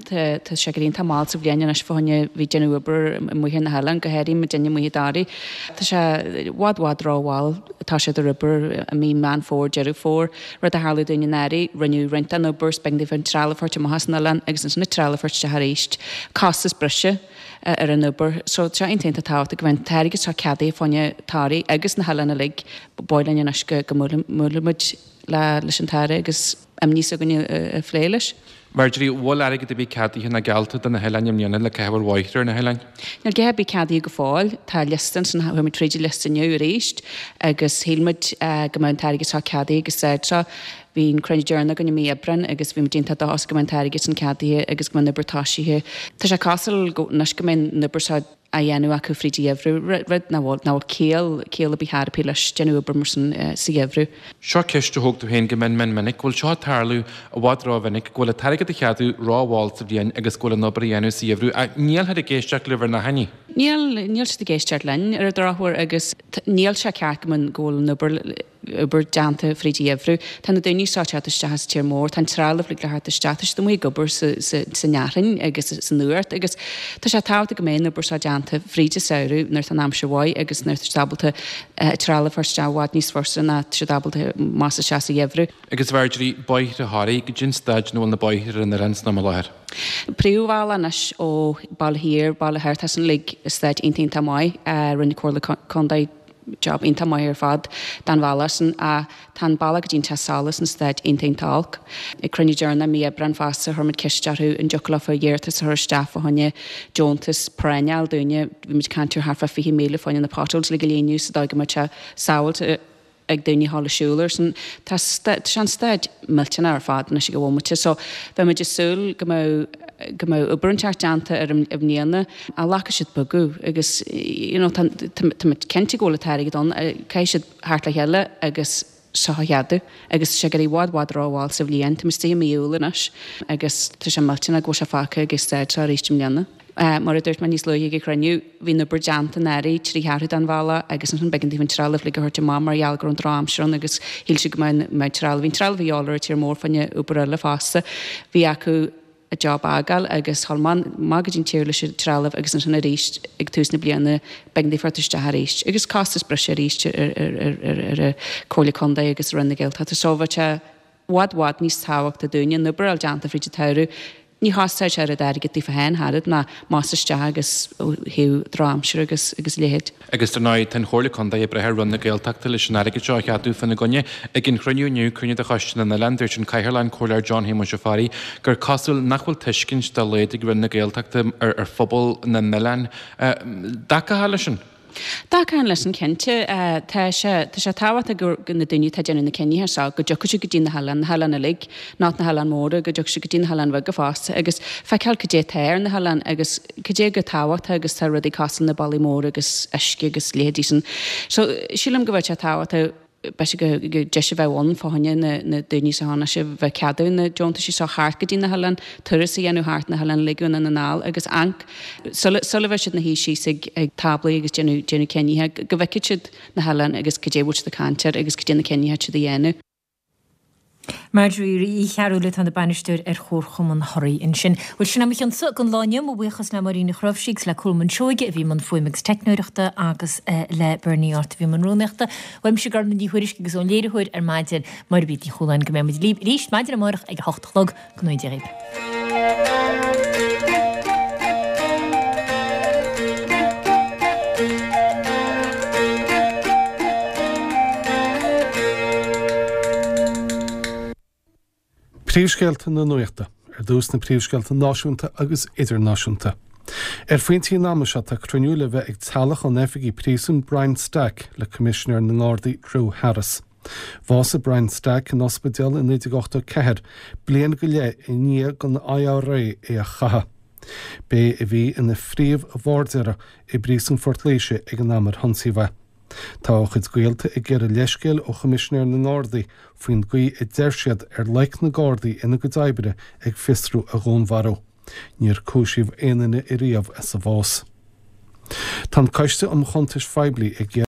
Tá sé ag éirí iontach mall sa bhliain anois fá choinne bheith ag déanamh obair amuigh ar na hoileáin, go háirithe muidinne amuigh i dToraigh. Tá sé i bhfad bhfad rómhall toiseacht ar obair i mí Meán Fómhair, Deireadh Fómhair, rud a tharla dúinn anuraidh. Rinneadh roinnt den obair, is b'éigean daofa an trealamh a thabhairt amach as an oileán agus ansin an trealamh a thabhairt isteach arís. Costas breise ar an obair. So tá sé iontach iontach tábhachtach go mbeidh an t-airgead seo ceadaithe fá choinne Toraí agus na hoileáin uilig. Ba mhaith linn anois go mbuailfeadh muid leis an tAire agus imní s'againne a phlé leis. Marjorie, bhfuil airgead ar bith ceadaithe nó geallta do na hoileáin i mbliana le caitheamh ar bhóithre ar na hoileáin? Níl a dhath ar bith ceadaithe go fóill. Tá liosta ansin, chuaigh muid tríd an liosta inniu arís agus shíl muid go mbeadh an t-airgead seo ceadaithe ag an staid seo. Bhí an cruinniú deireanach againn i mí Aibreáin agus bhí muid iontach dóchasach go mbeadh an t-airgead sin ceadaithe agus go mbeadh an obair toisithe. Tá sé cosúil go anois go mbeidh an obair seo á dhéanamh acu fríd an gheimhreadh, rud nach bhfuil, nach bhfuil ciall, ciall ar bith chor ar bith leis, déanamh obair mar sin sa gheimhreadh. Seo ceist a thóg tú féin go mion mion minic, bhfuil seo ag tarlú i bhfad rómhinic, go bhfuil an t-airgead a cheadú rómhall sa bhliain agus go bhfuil an obair a dhéanamh sa gheimhreadh, ach níl siad ag éisteacht libh ar ndóigh. Níl, níl siad ag éisteacht linn ar an drochuair agus níl sé ceart go mbeadh, go bhfuil an obair, obair déanta fríd an gheimhreadh. Tá na daoine seo ag teacht isteach as tír mór, tá an trealamh uilig le theacht isteach, tá siad amuigh ag obair san fhearthainn agus san fhuacht agus tá sé tábhachtach go mbeidh an obair seo déanta fríd an samhradh nuair atá an aimsir mhaith agus nuair atá siad ábalta trealamh a thabhairt isteach i bhfad níos fusa ná tá siad ábalta más isteach sa gheimhreadh. Agus Marjorie, bóithre Thoraí, goidé an staid ina bhfuil na bóithre ar an oileán san am i láthair. Príomhbhealach anois ó Baile Thiar, Baile Thoir, tá san uilig i staid iontach iontach maith. Rinne Comhairle Contae job iontach maith ar fad don bhealach sin ach tá an bealach go dtí an teach solais in staid iontach iontach olc. Ag cruinniú deireanach i mí Aibreáin fosta chuir muid ceist orthu an dtiocfadh leofa iarratas a chur isteach fá choinne deontas práinne a fháil dúinne. Bhí muid ag caint ar thart fá 20,000 fá choinne na potholes uilig a líonadh sa dóigh go mbeadh sé sábháilte ag daoine a ghabháil ag siúl air sin. Tá tá sé in staid millteanach ar fad anois ag an bhomaite so bheadh muid ag súil go mbeadh go mbeadh obair inteacht déanta air i mbliana ach ghlacfaidh siad bogadh agus you know tá tá muid cinnte go bhfuil an t-airgead ann caithfidh siad theacht le chéile agus seo a cheadú agus tá sé ag éirí i bhfad bhfad rómhall sa bhliain. Tá muid istigh i mí Iúil anois agus tá sé millteanach go bhfuil sé fágtha ag an staid seo arís i mbliana. Mar a dúirt mé níos luaithe ag an chruinniú, bhí an obair déanta anuraidh, 3 cheathrú den bhealach agus ansin b'éigean daofa an trealamh uilig a thabhairt amach mar gheall go raibh an drochaimsir ann agus shíl siad go mbeadh an trealamh, bhí an trealamh a dhíobháil ar an tír mór fá choinne obair eile fosta. Bhí acu an job a fhágáil agus dhul amach go dtí an tír leis an trealamh agus ansin arís ag tús na bliana b'éigean daofa theacht isteach arís agus costas breise arís ar an Comhairle Contae agus Roinn na Gaeltachta. So bheadh sé bhfad bhfad níos tábhachtaí dúinne an obair a fháil déanta fríd an tsamhradh. Ní chosnóidh sé oiread airgid daofa féin ach oiread ná más isteach agus ó thaobh drochaimsire agus agus a leithéid. Agus dar ndóigh, tá an Chomhairle Contae ag brath ar Roinn na Gaeltachta leis an airgead seo a cheadú fána gcoinne. Ag an chruinniú inniu, cruinniú de Choiste na nOileán, dúirt an Cathaoirleach, an Comhairleoir John Shéamuis Ó Fearraigh, gur cosúil nach bhfuil tuiscint dá laghad ag Roinn na Gaeltachta ar phobal na n-oileán. Dtacófá leis sin? Dtacaím leis sin cinnte. Tá sé, tá sé tábhachtach go, go na daoine atá ag déanamh na cinnithe seo, go dtiocfaidh siad go dtí na hoileáin, na hoileáin uilig, not na hoileáin mhóra, go dtiocfaidh siad go dtí na hoileáin bheaga fosta agus feiceáil cad é atá ar na hoileáin agus cad é chomh tábhachtach agus tá rudaí cosúil na bealaí móra agus uisce agus leithéidí sin. So, sílim go bhfuil sé tábhachtach b'fhéidir go deis a bheadh ann fá choinne na daoine seo anois a bheith ag ceadú na deontaisí seo thart go dtí na hoileáin, turas a dhéanamh thart na hoileáin uilig Dhún na nGall agus amharc sula sula bheidh siad ina shuí síos ag ag táblaí agus déanamh déanamh cinnithe go bhfeicfidh siad na hoileáin agus cad é a bhfuil siad ag caint air agus cad é na cinnithe atá siad a dhéanamh. Marjorie Uí Chearúil atá ina bainisteoir ar Chomharchumann Thoraí ansin. Bhuel, sin é mo chionsa don lá inniu. Mo bhuíochas le Máirín Ní Chnáimhsí agus le Colmán Seoige a bhí i mbun fuaime agus teicneoireachta agus le Bernie Art a bhí i mbun rúnaíochta. Uaimse Gormlaith Ní Thuairisg agus ón léiritheoir ar maidin, Máire Bríd Ní Chualáin, go mbeidh muid libh arís maidin amárach ag a hocht a chlog. Go ngnóthaí Dia dhaoibh. Príomhscéalta na Nuachta. Ar dtús na príomhscéalta náisiúnta agus idirnáisiúnta. Ar phointí an ama seo tá cruinniú le bheith ag teaghlach an oifigigh príosúin Brian Stack le Coimisinéir na nGardaí Drew Harris. Bhásaigh Brian Stack in ospidéal i 1984, bliain go leith i ndiaidh don IRA é a chaitheamh. B'é a bhí ina phríomh-bhairdéara i bPríosún Phort Laoise ag an am ar hionsaíodh é. Tá a chuid gaolta ag iarraidh leithscéil ó Choimisinéir na nGardaí faoin gcaoi a deir siad ar loic na Gardaí ina gcuid oibre ag fiosrú a dhúnmharú. Níor cúisíodh aon duine ariamh as a bhás. Tá an Coiste um Chuntais Phoiblí ag.